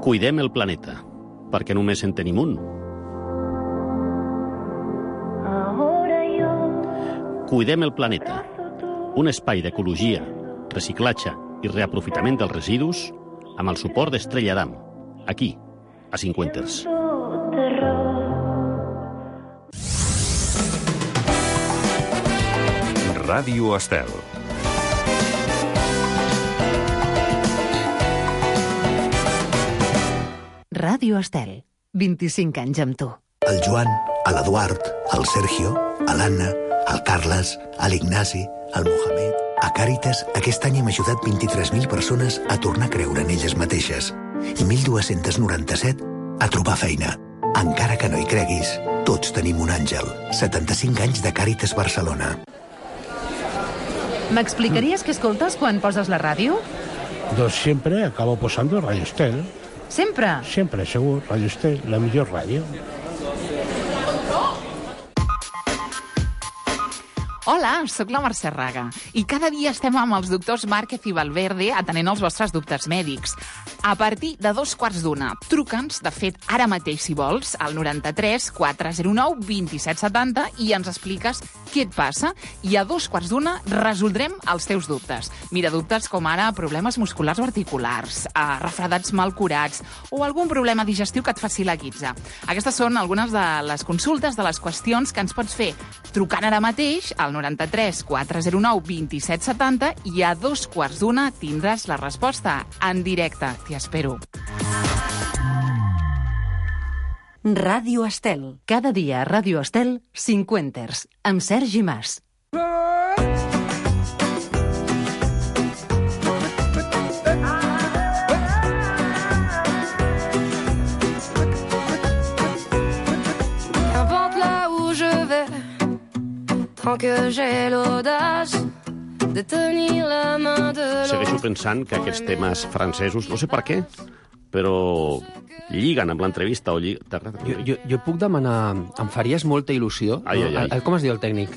Cuidem el planeta, perquè només en tenim un. Ahora yo... Cuidem el planeta, un espai d'ecologia, reciclatge i reaprofitament dels residus amb el suport d'Estrella Damm, aquí, a Cinquenters. Ràdio Estel. Ràdio Estel, 25 anys amb tu. El Joan, l'Eduard, el Sergio, l'Anna, el Carles, l'Ignasi, el Mohamed... A Càritas, aquest any hem ajudat 23.000 persones a tornar a creure en elles mateixes i 1.297 a trobar feina. Encara que no hi creguis, Tots tenim un àngel. 75 anys de Càritas Barcelona. ¿M'explicaries què escoltes quan poses la ràdio? Doncs sempre acabo posando Radio Estel. Sempre? Sempre, segur. Radio Estel, la millor ràdio. Hola, sóc la Mercè Raga i cada dia estem amb els doctors Márquez i Valverde atenent els vostres dubtes mèdics. A partir de 2:15, truca'ns, de fet, ara mateix, si vols, al 93 409 2770 i ens expliques què et passa i a 2:15 resoldrem els teus dubtes. Mira, dubtes com ara problemes musculars o articulars, refredats mal curats o algun problema digestiu que et faci la guitza. Aquestes són algunes de les consultes, de les qüestions que ens pots fer trucant ara mateix al 93 409 2770 i a 2:15 tindràs la resposta en directe. T'hi espero. Ràdio Estel. Cada dia a Ràdio Estel, 50ers, amb Sergi Mas. Qu'importe là où je vais, tant que j'ai l'audace de tenir la main de l'autre. Segueixo pensant que aquests temes francesos, no sé per què, però lliguen amb l'entrevista o Jo puc demanar... Em faries molta il·lusió. Com es diu el tècnic?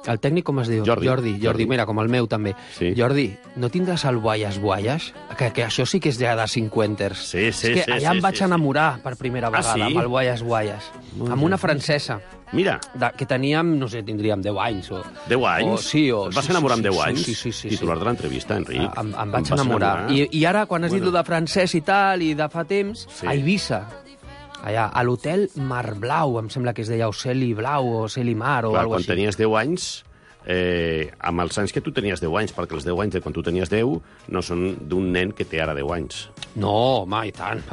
El tècnic com es diu? Jordi, mira, com el meu també. Jordi, no tindràs el Buaies Buaies? Que això sí que és ja de 50ers. Sí. És que allà em vaig enamorar per primera vegada amb el Buaies Buaies. Amb una francesa. Mira. Que teníem, no sé, tindríem 10 anys. 10 anys? Sí. Et vas enamorar amb 10 anys? Sí. Titular de l'entrevista, Enric. Em vaig enamorar. I ara, quan has dit de francès i tal, i de fa temps, a Eivissa, allà, a l'hotel Mar Blau, em sembla que es deia Oceli Blau o Oceli Mar o alguna cosa així. Quan tenies 10 anys, amb els anys que tu tenies 10 anys, perquè els 10 anys de quan tu tenies 10 no són d'un nen que té ara 10 anys. No, home, i tant.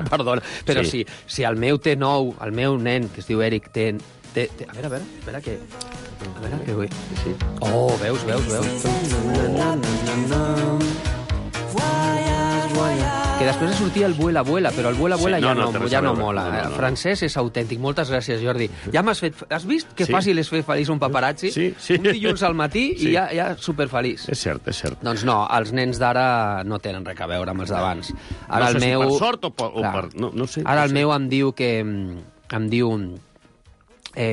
Perdona. Però si el meu té 9, el meu nen, que es diu Eric, té... A veure, espera que... A veure, que vull... Sí. Oh, veus? Que després sortia el Vuela, però el Vuela ja no mola. El francès és autèntic. Moltes gràcies, Jordi. Ja m'has fet... Has vist que fàcil és fer feliç un paparazzi? Sí. Un dilluns al matí i ja superfeliç. És cert. Doncs no, els nens d'ara no tenen res a veure amb els d'abans. Ara no sé si per sort o per... No sé. Ara el meu em diu que...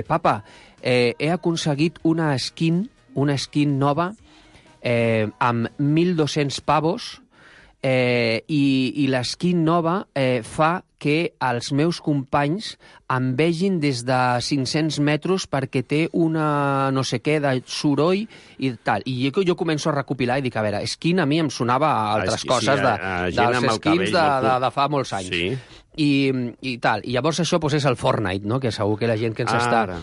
Papa, he aconseguit una skin nova amb 1.200 pavos i l'esquin nova fa que els meus companys em vegin des de 500 metres perquè té una no sé què de soroll i tal. I jo començo a recopilar i dic, a veure, skin a mi em sonava a altres coses dels skins de fa molts anys. Sí. I tal. I llavors això és el Fortnite, no? Que segur que la gent que ens està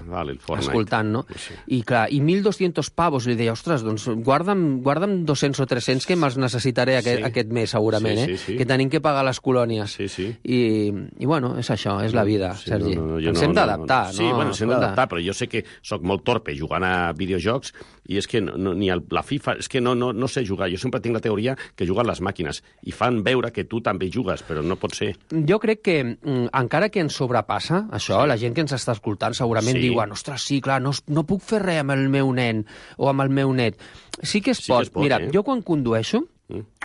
escoltant, no? Sí. I clar, i 1.200 pavos. Li deia, ostres, doncs guarda'm 200 o 300 que me'ls necessitaré aquest mes, segurament, sí. Que tenim que pagar les colònies. Sí. I bueno, és això, és la vida, Sergi. Ens hem d'adaptar, no? Sí, bueno, ens hem d'adaptar, però jo sé que sóc molt torpe jugant a videojocs i és que ni la FIFA... És que no sé jugar. Jo sempre tinc la teoria que juguen les màquines i fan veure que tu també jugues, però no pot ser. Jo crec que encara que ens sobrepassa això, la gent que ens està escoltant segurament diuen, ostres, sí, clar, no puc fer res amb el meu nen o amb el meu net. Sí que es pot. Mira, jo quan condueixo,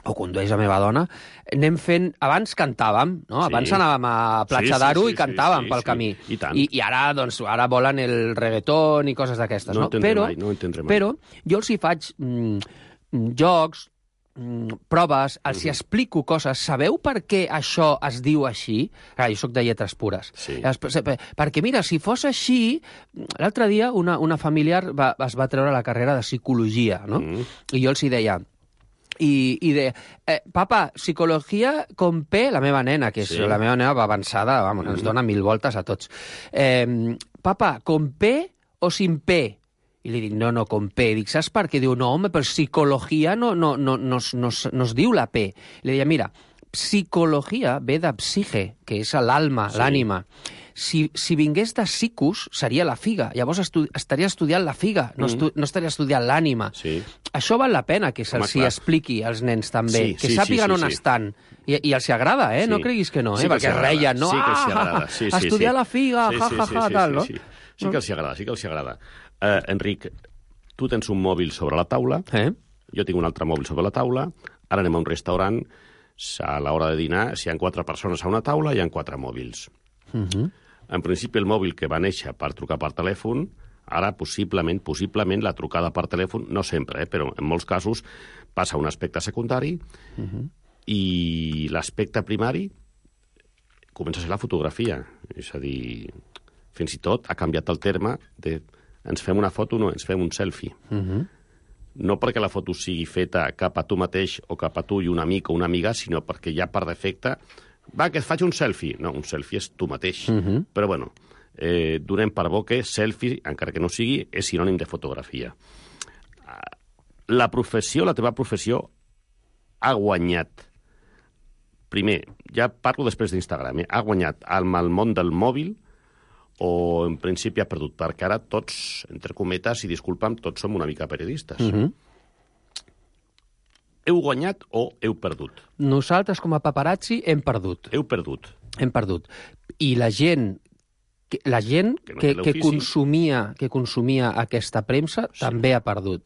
o condueix la meva dona, anem fent... Abans cantàvem, no? Abans anàvem a Platja d'Aro i cantàvem pel camí. I tant. I ara, doncs, volen el reggaeton i coses d'aquestes, no? No entendré mai. Però jo els hi faig jocs, proves, els hi explico coses. Sabeu per què això es diu així? Jo soc de lletres pures. Sí. Perquè, mira, si fos així... L'altre dia una familiar es va treure la carrera de psicologia, no? I jo els hi deia... I de, papa, psicologia con P, la meva nena, que és la meva nena va avançada, ens dona 1000 voltes a tots. Papa, con P o sin P? I li dic, no, con P. Dic, saps per què? Diu, no, home, però psicologia no es diu la P. I li deia, mira, psicologia ve de psique, que és l'alma, l'ànima. si vingués de Sikus, seria la figa. Llavors estaria estudiant la figa, no estaria estudiant l'ànima. Sí. Això val la pena que se'ls expliqui als nens també, que sàpiguen on estan. I els agrada, no creguis que no, perquè reien, no? Sí que els agrada. Estudiar la figa, tal, no? Sí que els agrada. Enric, tu tens un mòbil sobre la taula, jo tinc un altre mòbil sobre la taula, ara anem a un restaurant, a l'hora de dinar, si hi ha 4 persones a una taula, hi ha 4 mòbils. En principi, el mòbil que va néixer per trucar per telèfon, ara possiblement la trucada per telèfon, no sempre, però en molts casos passa a un aspecte secundari i l'aspecte primari comença a ser la fotografia. És a dir, fins i tot ha canviat el terme de ens fem una foto, no, ens fem un selfie. No perquè la foto sigui feta cap a tu mateix o cap a tu i un amic o una amiga, sinó perquè ja per defecte va, que et faig un selfie. No, un selfie és tu mateix. Però, bueno, donem per bo que selfie, encara que no sigui, és sinònim de fotografia. La teva professió, ha guanyat. Primer, ja parlo després d'Instagram, ha guanyat amb el món del mòbil o, en principi, ha perdut, perquè ara tots, entre cometes, i disculpa'm, tots som una mica periodistes. Heu guanyat o heu perdut? Nosaltres, com a paparazzi, hem perdut. Heu perdut. Hem perdut. I la gent que consumia aquesta premsa també ha perdut.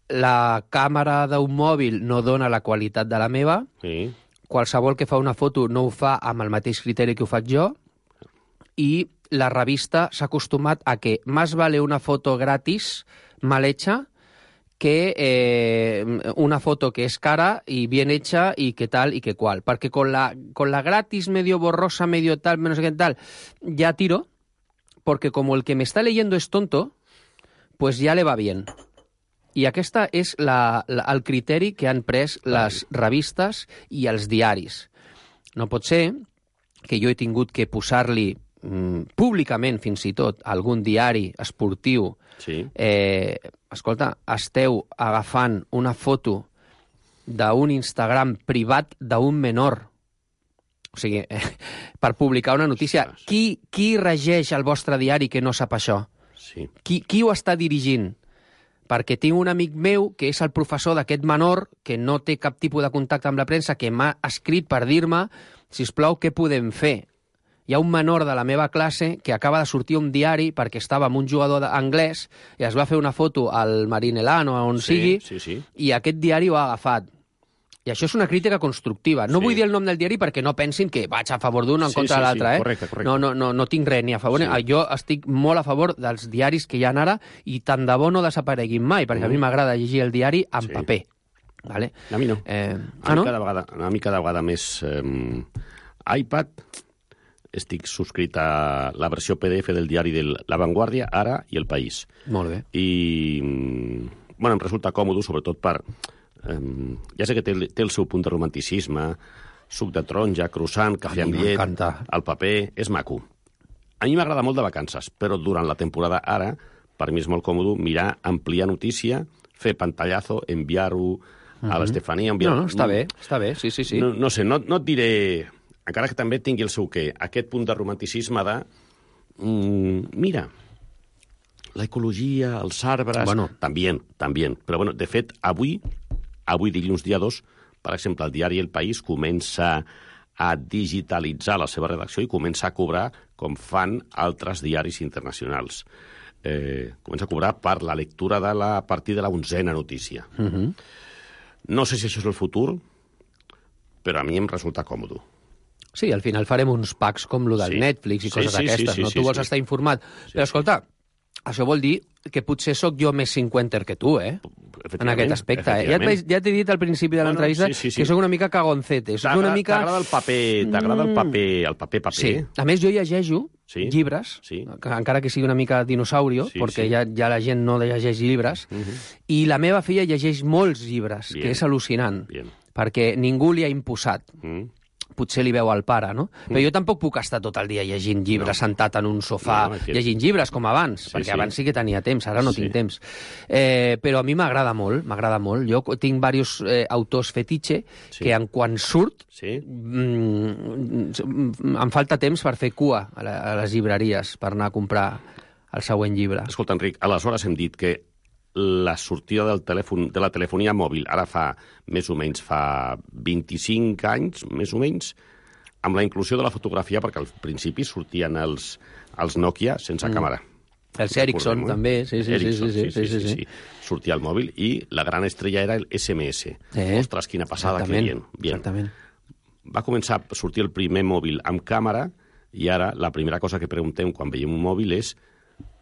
La càmera d'un mòbil no dona la qualitat de la meva. Qualsevol que fa una foto no ho fa amb el mateix criteri que ho faig jo. I la revista s'ha acostumat a que más vale una foto gratis, mal hecha, que una foto que es cara y bien hecha y que tal y que cual. Porque con la gratis, medio borrosa, medio tal, menos que tal, ya tiro, porque como el que me está leyendo es tonto, pues ya le va bien. I aquesta és el criteri que han pres les revistes i els diaris. No pot ser que jo he tingut que posar-li públicament, fins i tot, algun diari esportiu. Escolta, esteu agafant una foto d'un Instagram privat d'un menor. O sigui, per publicar una notícia. Qui regeix el vostre diari que no sap això? Qui ho està dirigint? Perquè tinc un amic meu que és el professor d'aquest menor, que no té cap tipus de contacte amb la premsa, que m'ha escrit per dir-me, sisplau, què podem fer? Hi ha un menor de la meva classe que acaba de sortir un diari perquè estava amb un jugador anglès i es va fer una foto al Marinelán o on sigui, i aquest diari ho ha agafat. I això és una crítica constructiva. No vull dir el nom del diari perquè no pensin que vaig a favor d'un o en contra de l'altre. Correcte. No tinc res ni a favor. Jo estic molt a favor dels diaris que hi ha ara i tant de bo no desapareguin mai, perquè a mi m'agrada llegir el diari en paper. Vale? A mi no. A mi cada vegada més iPad. Estic subscrit a la versió PDF del diari de La Vanguardia, Ara i El País. Molt bé. I em resulta còmode, sobretot per... ja sé que té el seu punt de romanticisme, suc de taronja, croissant, cafè amb llet, el paper, és maco. A mi m'agrada molt de vacances, però durant la temporada ara, per mi és molt còmode mirar, ampliar notícia, fer pantallazo, enviar-ho a l'Estefania... No, està bé, sí. No sé, no et diré... Encara que també tingui el seu què, aquest punt de romanticisme de... Mira, la ecologia, els arbres... També. Però, de fet, avui dilluns dia 2, per exemple, el diari El País comença a digitalitzar la seva redacció i comença a cobrar com fan altres diaris internacionals. Comença a cobrar per la lectura a partir de la 11ª notícia. No sé si això és el futur, però a mi em resulta còmode. Sí, al final farem uns packs com el del Netflix i coses d'aquestes, no? Tu vols estar informat. Però, escolta, això vol dir que potser sóc jo més cinquenter que tu, en aquest aspecte. Ja t'he dit al principi de l'entrevista que sóc una mica cagoncete. T'agrada el paper, el paper. Sí. A més, jo llegeixo llibres, encara que sigui una mica dinosaurio, perquè ja la gent no llegeix llibres, i la meva filla llegeix molts llibres, que és al·lucinant, perquè ningú li ha imposat. potser li veu al pare, no? Però jo tampoc puc estar tot el dia llegint llibres, sentat en un sofà, llegint llibres com abans, perquè abans sí que tenia temps, ara no tinc temps. Però a mi m'agrada molt. Jo tinc diversos autors fetitxe que quan surt em falta temps per fer cua a les llibreries per anar a comprar el següent llibre. Escolta, Enric, aleshores hem dit que la sortida de la telefonia mòbil, ara més o menys fa 25 anys, més o menys, amb la inclusió de la fotografia, perquè al principi sortien els Nokia sense càmera. Els Ericsson, també, sí. Sortia el mòbil i la gran estrella era el SMS. Ostres, quina passada, que bien. Exactament. Va començar a sortir el primer mòbil amb càmera i ara la primera cosa que preguntem quan veiem un mòbil és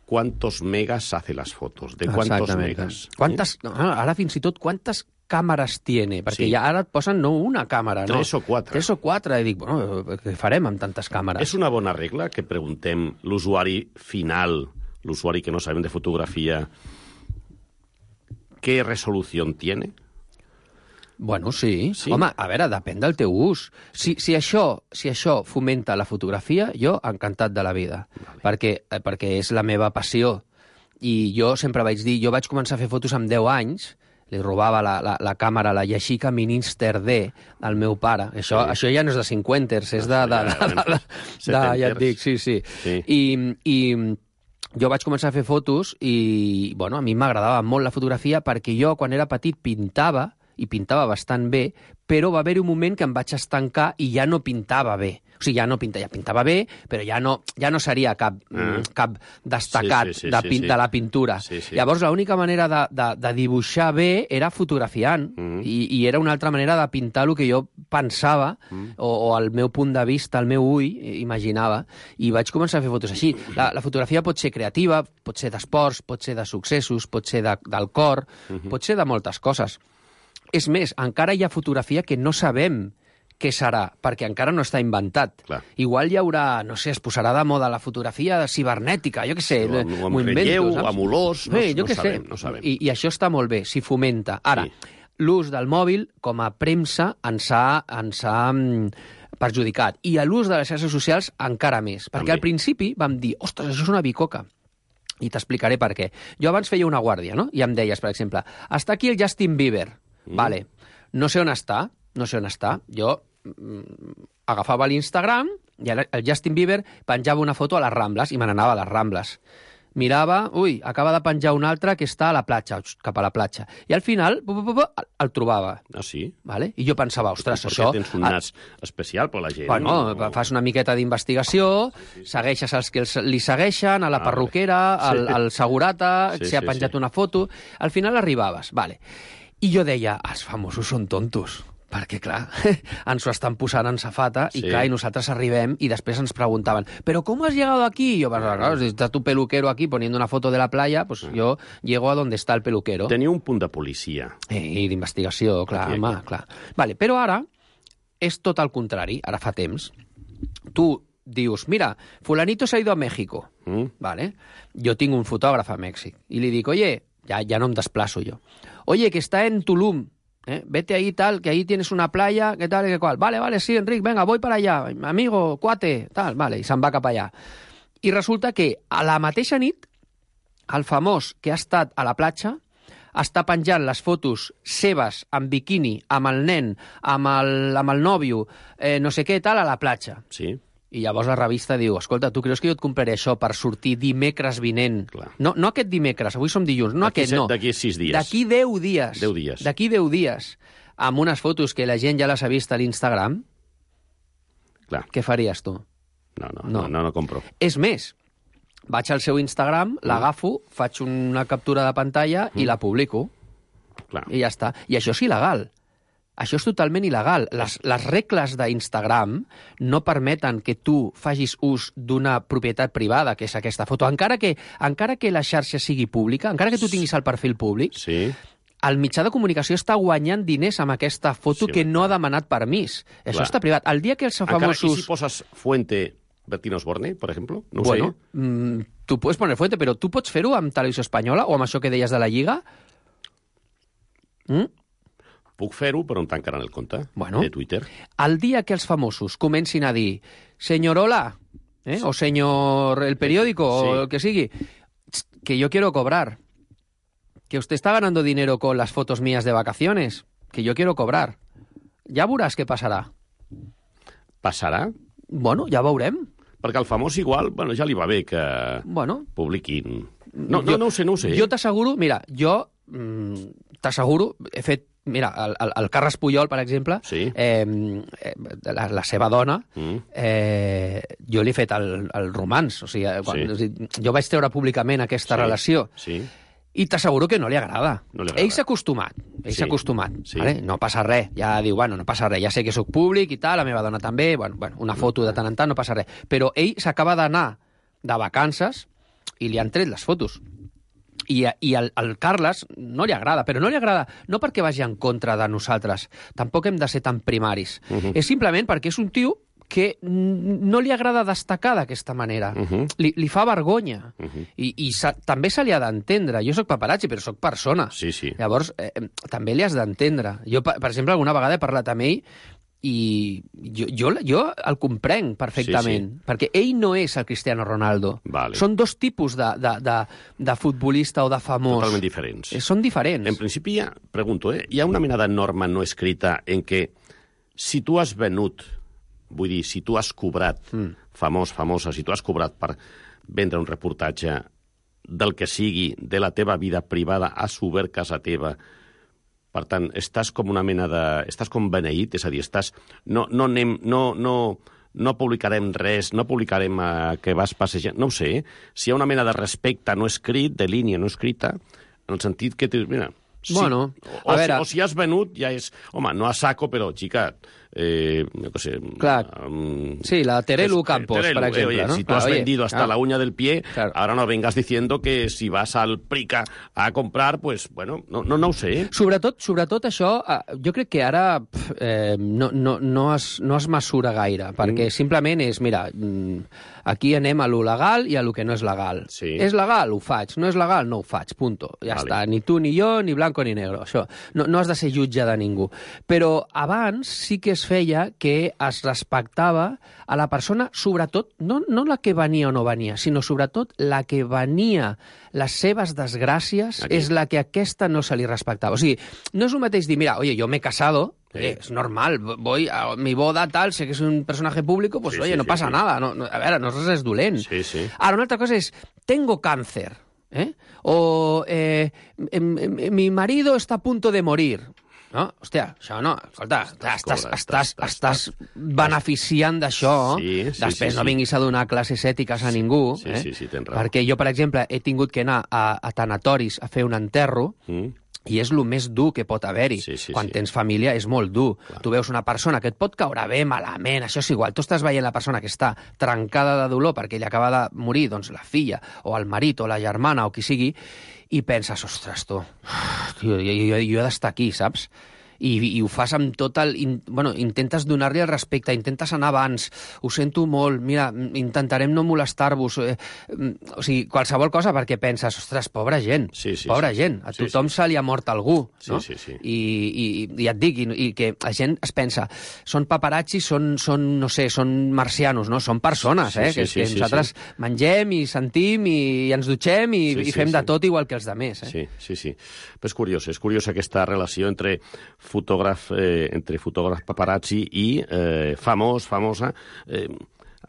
¿cuántos megas hace las fotos? ¿De cuántos megas? Ara fins i tot, quantes càmeres tiene? Perquè ja ara et posen no una càmera, no? 3 o 4. 3 o 4. I dic, bueno, què farem amb tantes càmeres? És una bona regla que preguntem l'usuari final, l'usuari que no sabem de fotografia, ¿qué resolución tiene? Bueno, sí. Home, a veure, depèn del teu ús. Si això fomenta la fotografia, jo encantat de la vida, perquè és la meva passió. I jo sempre vaig dir, jo vaig començar a fer fotos amb 10 anys, li robava la càmera, la Yashica Mini Inster D al meu pare. Això ja no és de 50ers, és ja et dic, sí. I jo vaig començar a fer fotos i, bueno, a mi m'agradava molt la fotografia perquè jo, quan era petit, pintava, i pintava bastant bé, però va haver-hi un moment que em vaig estancar i ja no pintava bé. O sigui, ja pintava bé, però ja no seria cap destacat de la pintura. Llavors, l'única manera de dibuixar bé era fotografiant, i era una altra manera de pintar el que jo pensava, o el meu punt de vista, el meu ull, imaginava, i vaig començar a fer fotos així. La fotografia pot ser creativa, pot ser d'esports, pot ser de successos, pot ser del cor, pot ser de moltes coses. És més, encara hi ha fotografia que no sabem què serà, perquè encara no està inventat. Igual hi haurà, no sé, es posarà de moda la fotografia cibernètica, jo què sé. O amb relleu, o amb olors, no sabem. I això està molt bé, s'hi fomenta. Ara, l'ús del mòbil com a premsa ens ha perjudicat. I l'ús de les xarxes socials encara més. Perquè al principi vam dir, ostres, això és una bicoca. I t'explicaré per què. Jo abans feia una guàrdia, no? I em deies, per exemple, està aquí el Justin Bieber. Vale, no sé on està. Jo agafava l'Instagram i el Justin Bieber penjava una foto a les Rambles i me n'anava a les Rambles. Mirava, acaba de penjar un altre que està a la platja, cap a la platja. I al final el trobava. Ah, sí? Vale? I jo pensava, ostres, això... Perquè tens un nas especial per la gent. Bueno, fas una miqueta d'investigació, segueixes els que li segueixen, a la perruquera, al segurata, si ha penjat una foto... Al final arribaves, vale. I jo deia, els famosos són tontos, perquè, clar, ens ho estan posant en safata i, clar, i nosaltres arribem i després ens preguntaven, ¿pero cómo has llegado aquí? Y yo, claro, si está tu peluquero aquí poniendo una foto de la playa, pues yo llego a donde está el peluquero. Tenia un punt de policia. I d'investigació, clar, home, clar. Vale, però ara és tot el contrari, ara fa temps. Tu dius, mira, fulanito se ha ido a México. Vale? Jo tinc un fotògraf a Mèxic i li dic, oye, ya no em desplazo yo. Oye, que está en Tulum, vete ahí tal, que ahí tienes una playa, que tal, que cual. Vale, sí, Enric, venga, voy para allá, amigo, cuate, tal, vale, i se'n va cap allà. I resulta que a la mateixa nit, el famós que ha estat a la platja està penjant les fotos seves en biquini, amb el nen, amb el nòvio, no sé què, tal, a la platja. Sí. I llavors la revista diu, escolta, tu creus que jo et compraré això per sortir dimecres vinent? No aquest dimecres, avui som dilluns, no aquest, no. D'aquí 6 dies. D'aquí 10 dies. 10 dies. D'aquí 10 dies. Amb unes fotos que la gent ja les ha vist a l'Instagram. Clar. Què faries tu? No compro. És més, vaig al seu Instagram, l'agafo, faig una captura de pantalla i la publico. Clar. I ja està. I això és il·legal. Això és totalment il·legal. Les regles d'Instagram no permeten que tu facis ús d'una propietat privada, que és aquesta foto. Encara que la xarxa sigui pública, encara que tu tinguis el perfil públic, el mitjà de comunicació està guanyant diners amb aquesta foto que no ha demanat permís. Això està privat. El dia que els famosos... Encara, i si poses fuente Bertín Osborne, per exemple? No ho sé. Tu pots poner fuente, però tu pots fer-ho amb Televisió Espanyola o amb això que deies de la Lliga? puc fer-ho, però em tancaran el compte de Twitter. El dia que els famosos comencin a dir señorola, o señor el periódico, o el que sigui, que yo quiero cobrar, que usted está ganando dinero con las fotos mías de vacaciones, que yo quiero cobrar. Ja veuràs què passarà. Passarà? Bueno, ja veurem. Perquè al famós igual, ja li va bé que publiquin. No ho sé. Jo t'asseguro, mira, he fet, mira, el Carles Puyol, per exemple, la seva dona, jo li he fet el romanç, o sigui, jo vaig treure públicament aquesta relació, i t'asseguro que no li agrada. Ell s'ha acostumat, vale? No passa res, ja diu, no passa res, ja sé que sóc públic i tal, la meva dona també, una foto de tant en tant, no passa res. Però ell s'acaba d'anar de vacances i li han tret les fotos. I al Carles no li agrada, però no li agrada no perquè vagi en contra de nosaltres, tampoc hem de ser tan primaris. És simplement perquè és un tio que no li agrada destacar d'aquesta manera. Li fa vergonya. I també se li ha d'entendre. Jo soc paparazzi, però soc persona. Llavors, també li has d'entendre. Jo, per exemple, alguna vegada he parlat amb ell i jo el comprenc perfectament, perquè ell no és el Cristiano Ronaldo. Són dos tipus de futbolista o de famós. Totalment diferents. Són diferents. En principi, pregunto, hi ha una mena de norma no escrita en què si tu has venut, vull dir, si tu has cobrat, famosa, si tu has cobrat per vendre un reportatge del que sigui, de la teva vida privada, has obert casa teva, per tant, estàs com una mena de... Estàs com beneït, és a dir, estàs... No publicarem res, no publicarem que vas passejant, no ho sé, si hi ha una mena de respecte no escrit, de línia no escrita, en el sentit que... Mira, bueno, o si has venut, ja és... Home, no a saco, però, xica... no sé... Clar. Sí, la Terelu Campos, por ejemplo. Oye, ¿no? si tú has vendido hasta la uña del pie, ahora no vengas diciendo que si vas al Prica a comprar, pues, bueno, no ho sé. Sobretot això, jo crec que ara no es mesura gaire, perquè simplement és, mira, aquí anem a lo legal i a lo que no és legal. És legal, ho faig. No és legal, no ho faig, punto. Ja està. Ni tu ni jo, ni blanco ni negro. Això. No has de ser jutge de ningú. Però abans sí que es feia que es respectava a la persona, sobretot, no la que venia o no venia, sinó sobretot la que venia les seves desgràcies, és la que aquesta no se li respectava. O sigui, no és el mateix dir, mira, oye, yo me he casado, es normal, voy a mi boda, tal, sé que es un personaje público, pues oye, no pasa nada, a veure, no és res dolent. Ara, una altra cosa és, tengo cáncer, o mi marido está a punto de morir. No? Hòstia, això no. Escolta, estàs beneficiant d'això. Després no vinguis a donar classes ètiques a ningú. Sí, tens raó. Perquè jo, per exemple, he tingut que anar a tanatoris a fer un enterro i és el més dur que pot haver-hi. Quan tens família és molt dur. Tu veus una persona que et pot caure bé, malament, això és igual. Tu estàs veient la persona que està trencada de dolor perquè ella acaba de morir, doncs la filla, o el marit, o la germana, o qui sigui, i penses, ostres, tu, jo he d'estar aquí, saps? I ho fas amb tot el... Bueno, intentes donar-li el respecte, intentes anar abans, ho sento molt, mira, intentarem no molestar-vos, o sigui, qualsevol cosa, perquè penses, ostres, pobra gent, pobra gent, a tothom se li ha mort algú, no? I ja et dic, i que la gent es pensa, són paparazzi, són no sé, són marcianos, no? Són persones, que nosaltres mengem i sentim i ens dutxem i fem de tot igual que els altres. Sí. Però és curiós aquesta relació entre fotògraf paparazzi i famosa.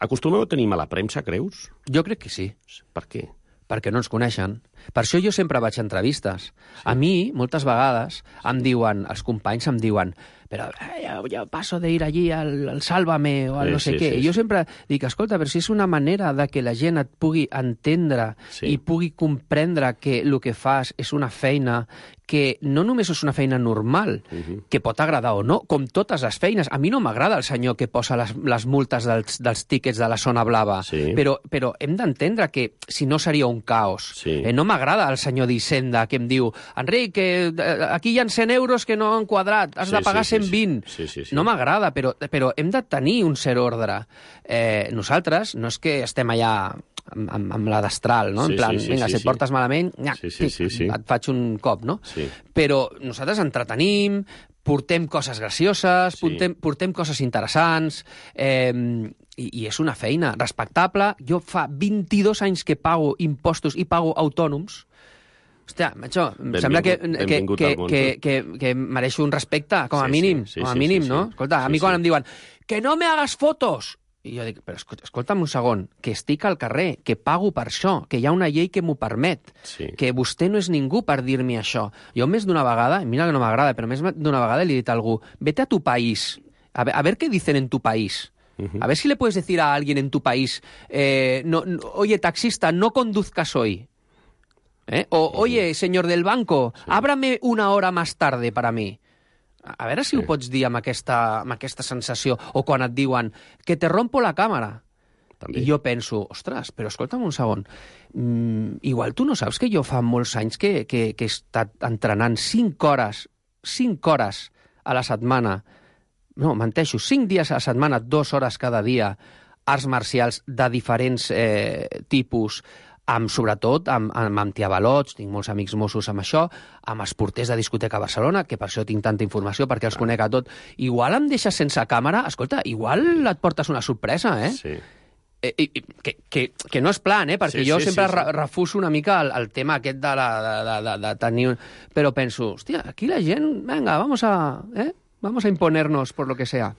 Acostumeu a tenir mala premsa, creus? Jo crec que sí. Per què? Perquè no ens coneixen. Per això jo sempre vaig a entrevistes. A mi, moltes vegades, els companys em diuen però yo paso de ir allí al Sálvame o al no sé què. I jo sempre dic, escolta, però si és una manera de que la gent et pugui entendre i pugui comprendre que el que fas és una feina que no només és una feina normal, que pot agradar o no, com totes les feines. A mi no m'agrada el senyor que posa les multes dels tíquets de la zona blava, però hem d'entendre que si no seria un caos. No m'agrada el senyor d'Hisenda que em diu, Enric, aquí hi ha 100 euros que no han quadrat, has de pagar 120. No m'agrada, però hem de tenir un cert ordre. Nosaltres no és que estem allà amb la destral, no? En plan, vinga, si et portes malament, et faig un cop, no? Però nosaltres entretenim, portem coses gracioses, portem coses interessants, i és una feina respectable. Jo fa 22 anys que pago impostos i pago autònoms. Hòstia, macho, em sembla que mereixo un respecte, com a mínim, no? Escolta, a mi quan em diuen que no me hagas fotos, i jo dic, però escolta'm un segon, que estic al carrer, que pago per això, que hi ha una llei que m'ho permet, que vostè no és ningú per dir-me això. Jo més d'una vegada, mira que no m'agrada, però més d'una vegada li he dit a algú, vete a tu país, a ver qué dicen en tu país. A ver si le puedes decir a alguien en tu país, oye, taxista, no conduzcas hoy. Oye, señor del banco, ábrame una hora más tarde para mí. A veure si ho pots dir amb aquesta sensació. O quan et diuen que te rompo la càmera. I jo penso, ostres, però escolta'm un segon, igual tu no saps que jo fa molts anys que he estat entrenant 5 hores a la setmana, no, menteixo, 5 dies a la setmana, 2 hores cada dia, arts marcials de diferents tipus, sobretot amb antiavalots, tinc molts amics Mossos amb això, amb esporters de discoteca a Barcelona, que per això tinc tanta informació, perquè els conec a tot. Igual em deixes sense càmera, escolta, igual et portes una sorpresa, eh? Sí. Que no és plan, perquè jo sempre refuso una mica el tema aquest de tenir... Però penso, hòstia, aquí la gent, venga, vamos a imponernos por lo que sea.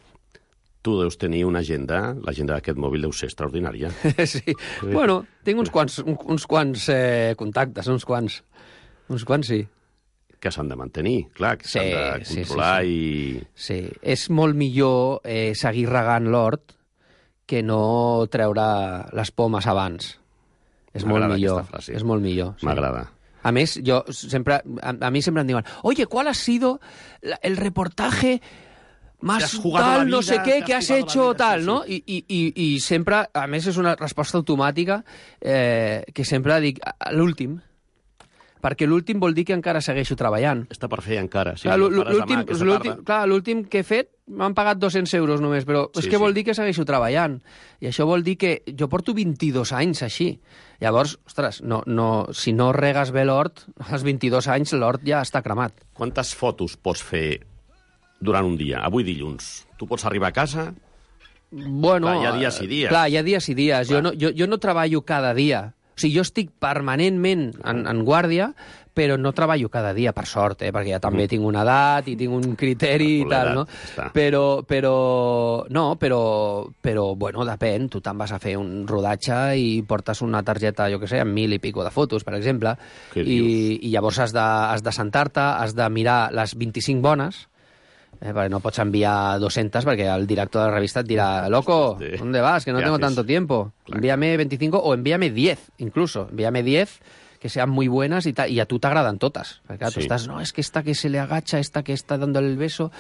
Tu deus tenir una agenda, l'agenda d'aquest mòbil deu ser extraordinària. Sí. Bueno, tinc uns quants contactes, uns quants sí. Que s'han de mantenir, clar, que s'han de controlar i... Sí, és molt millor seguir regant l'hort que no treure les pomes abans. És molt millor. És molt millor. M'agrada. A més, a mi sempre em diuen, oye, ¿cuál ha sido el reportaje más tal, no sé què, que has hecho, tal, no? I sempre, a més, és una resposta automàtica que sempre dic l'últim, perquè l'últim vol dir que encara segueixo treballant. Està per fer encara. Clar, l'últim que he fet m'han pagat 200 euros només, però és que vol dir que segueixo treballant. I això vol dir que jo porto 22 anys així. Llavors, ostres, si no regues bé l'hort, als 22 anys l'hort ja està cremat. Quantes fotos pots fer durant un dia? Avui dilluns. Tu pots arribar a casa? Bueno, clar, hi ha dies i dies. Clar, hi ha dies i dies. Jo no treballo cada dia. O sigui, jo estic permanentment en guàrdia, però no treballo cada dia, per sort, perquè ja també tinc una edat i tinc un criteri i tal, no? Però, bueno, depèn. Tu te'n vas a fer un rodatge i portes una targeta, jo què sé, amb 1.000 i pico de fotos, per exemple, i llavors has de sentar-te, has de mirar les 25 bones, perquè no pots enviar 200 perquè el director de la revista et dirà «Loco, ¿dónde vas? Que no tengo tanto tiempo. Envíame 25 o envíame 10, incluso. Envíame 10 que sean muy buenas y a tú te agradan todas. Perquè tú estás, no, es que esta que se le agacha, esta que está dando el beso,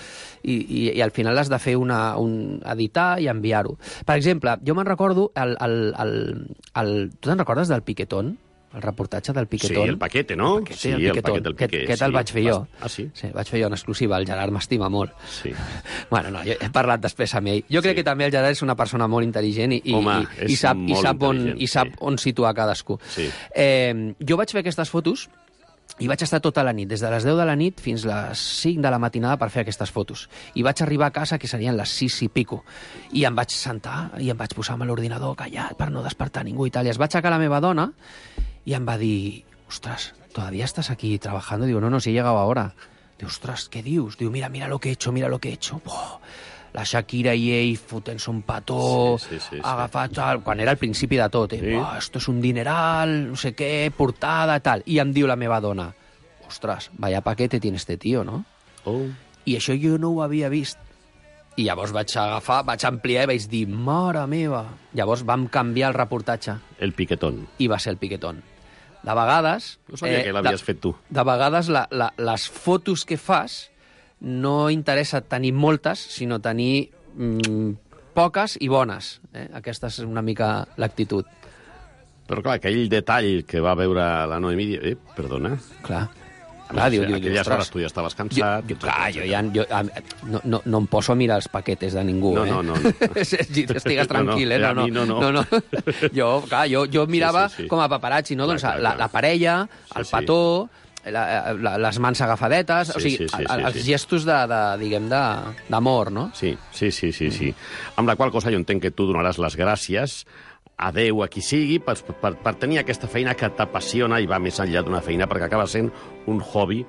i al final has de fer editar i enviar-ho. Per exemple, jo me'n recordo, tu te'n recordes del Piquetón? El reportatge del Piquetón. Sí, el paquete, no? Sí, el paquet del Piqué. Aquest el vaig fer jo. Ah, sí? Sí, vaig fer jo en exclusiva. El Gerard m'estima molt. Sí. Bueno, no, jo he parlat després amb ell. Jo crec que també el Gerard és una persona molt intel·ligent i sap on situar cadascú. Sí. Jo vaig fer aquestes fotos i vaig estar tota la nit, des de les 10 de la nit fins a les 5 de la matinada per fer aquestes fotos. I vaig arribar a casa, que serien les 6 i pico. I em vaig sentar i em vaig posar amb l'ordinador callat per no despertar ningú i tal. I es va aixecar la meva dona y em va dir, ostras, ¿todavía estás aquí trabajando? Digo, no, si he llegado ahora. Digo, ostras, ¿qué dius? Digo, mira lo que he hecho, mira lo que he hecho. Buah, la Shakira i ell fotent-se un petó, agafat, quan era el principi de tot. Buah, esto es un dineral, no sé què, portada, tal. I em diu la meva dona, ostras, vaya paquete tiene este tío, ¿no? I això jo no ho havia vist. I llavors vaig ampliar i vaig dir, mare meva. Llavors vam canviar el reportatge. El Piquetón. I va ser el Piquetón. De vegades... No sabia que l'havies fet tu. De vegades les fotos que fas no interessa tenir moltes, sinó tenir poques i bones. Aquesta és una mica l'actitud. Però clar, aquell detall que va veure la Noemí... perdona. Clar, aquelles hores tu ja estaves cansat... No em poso a mirar els paquetes de ningú. No. Estigues tranquil, No. Jo mirava com a paparazzi, no? Doncs la parella, el petó, les mans agafadetes, o sigui, els gestos d'amor, no? Sí. Amb la qual cosa jo entenc que tu donaràs les gràcies a Déu, a qui sigui, per tenir aquesta feina que t'apassiona i va més enllà d'una feina, perquè acaba sent un hobby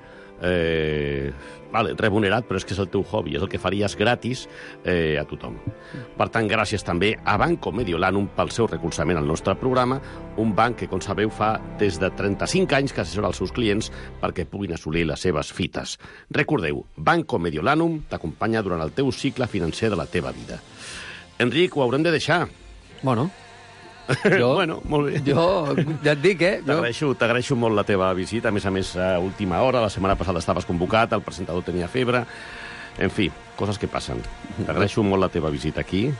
remunerat, però és que és el teu hobby, és el que faries gratis a tothom. Per tant, gràcies també a Banco Mediolanum pel seu recolzament al nostre programa, un banc que, com sabeu, fa des de 35 anys que assessora els seus clients perquè puguin assolir les seves fites. Recordeu, Banco Mediolanum t'acompanya durant el teu cicle financer de la teva vida. Enric, ho haurem de deixar. Bueno, molt bé. Jo ja et dic, T'agraeixo molt la teva visita, a més, a última hora. La setmana passada estaves convocat, el presentador tenia febre. En fi, coses que passen. T'agraeixo molt la teva visita aquí.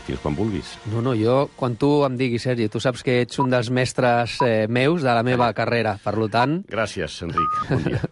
Fins quan vulguis. No, jo, quan tu em diguis, Sergi, tu saps que ets un dels mestres meus de la meva carrera, per tant... Gràcies, Enric. Bon dia.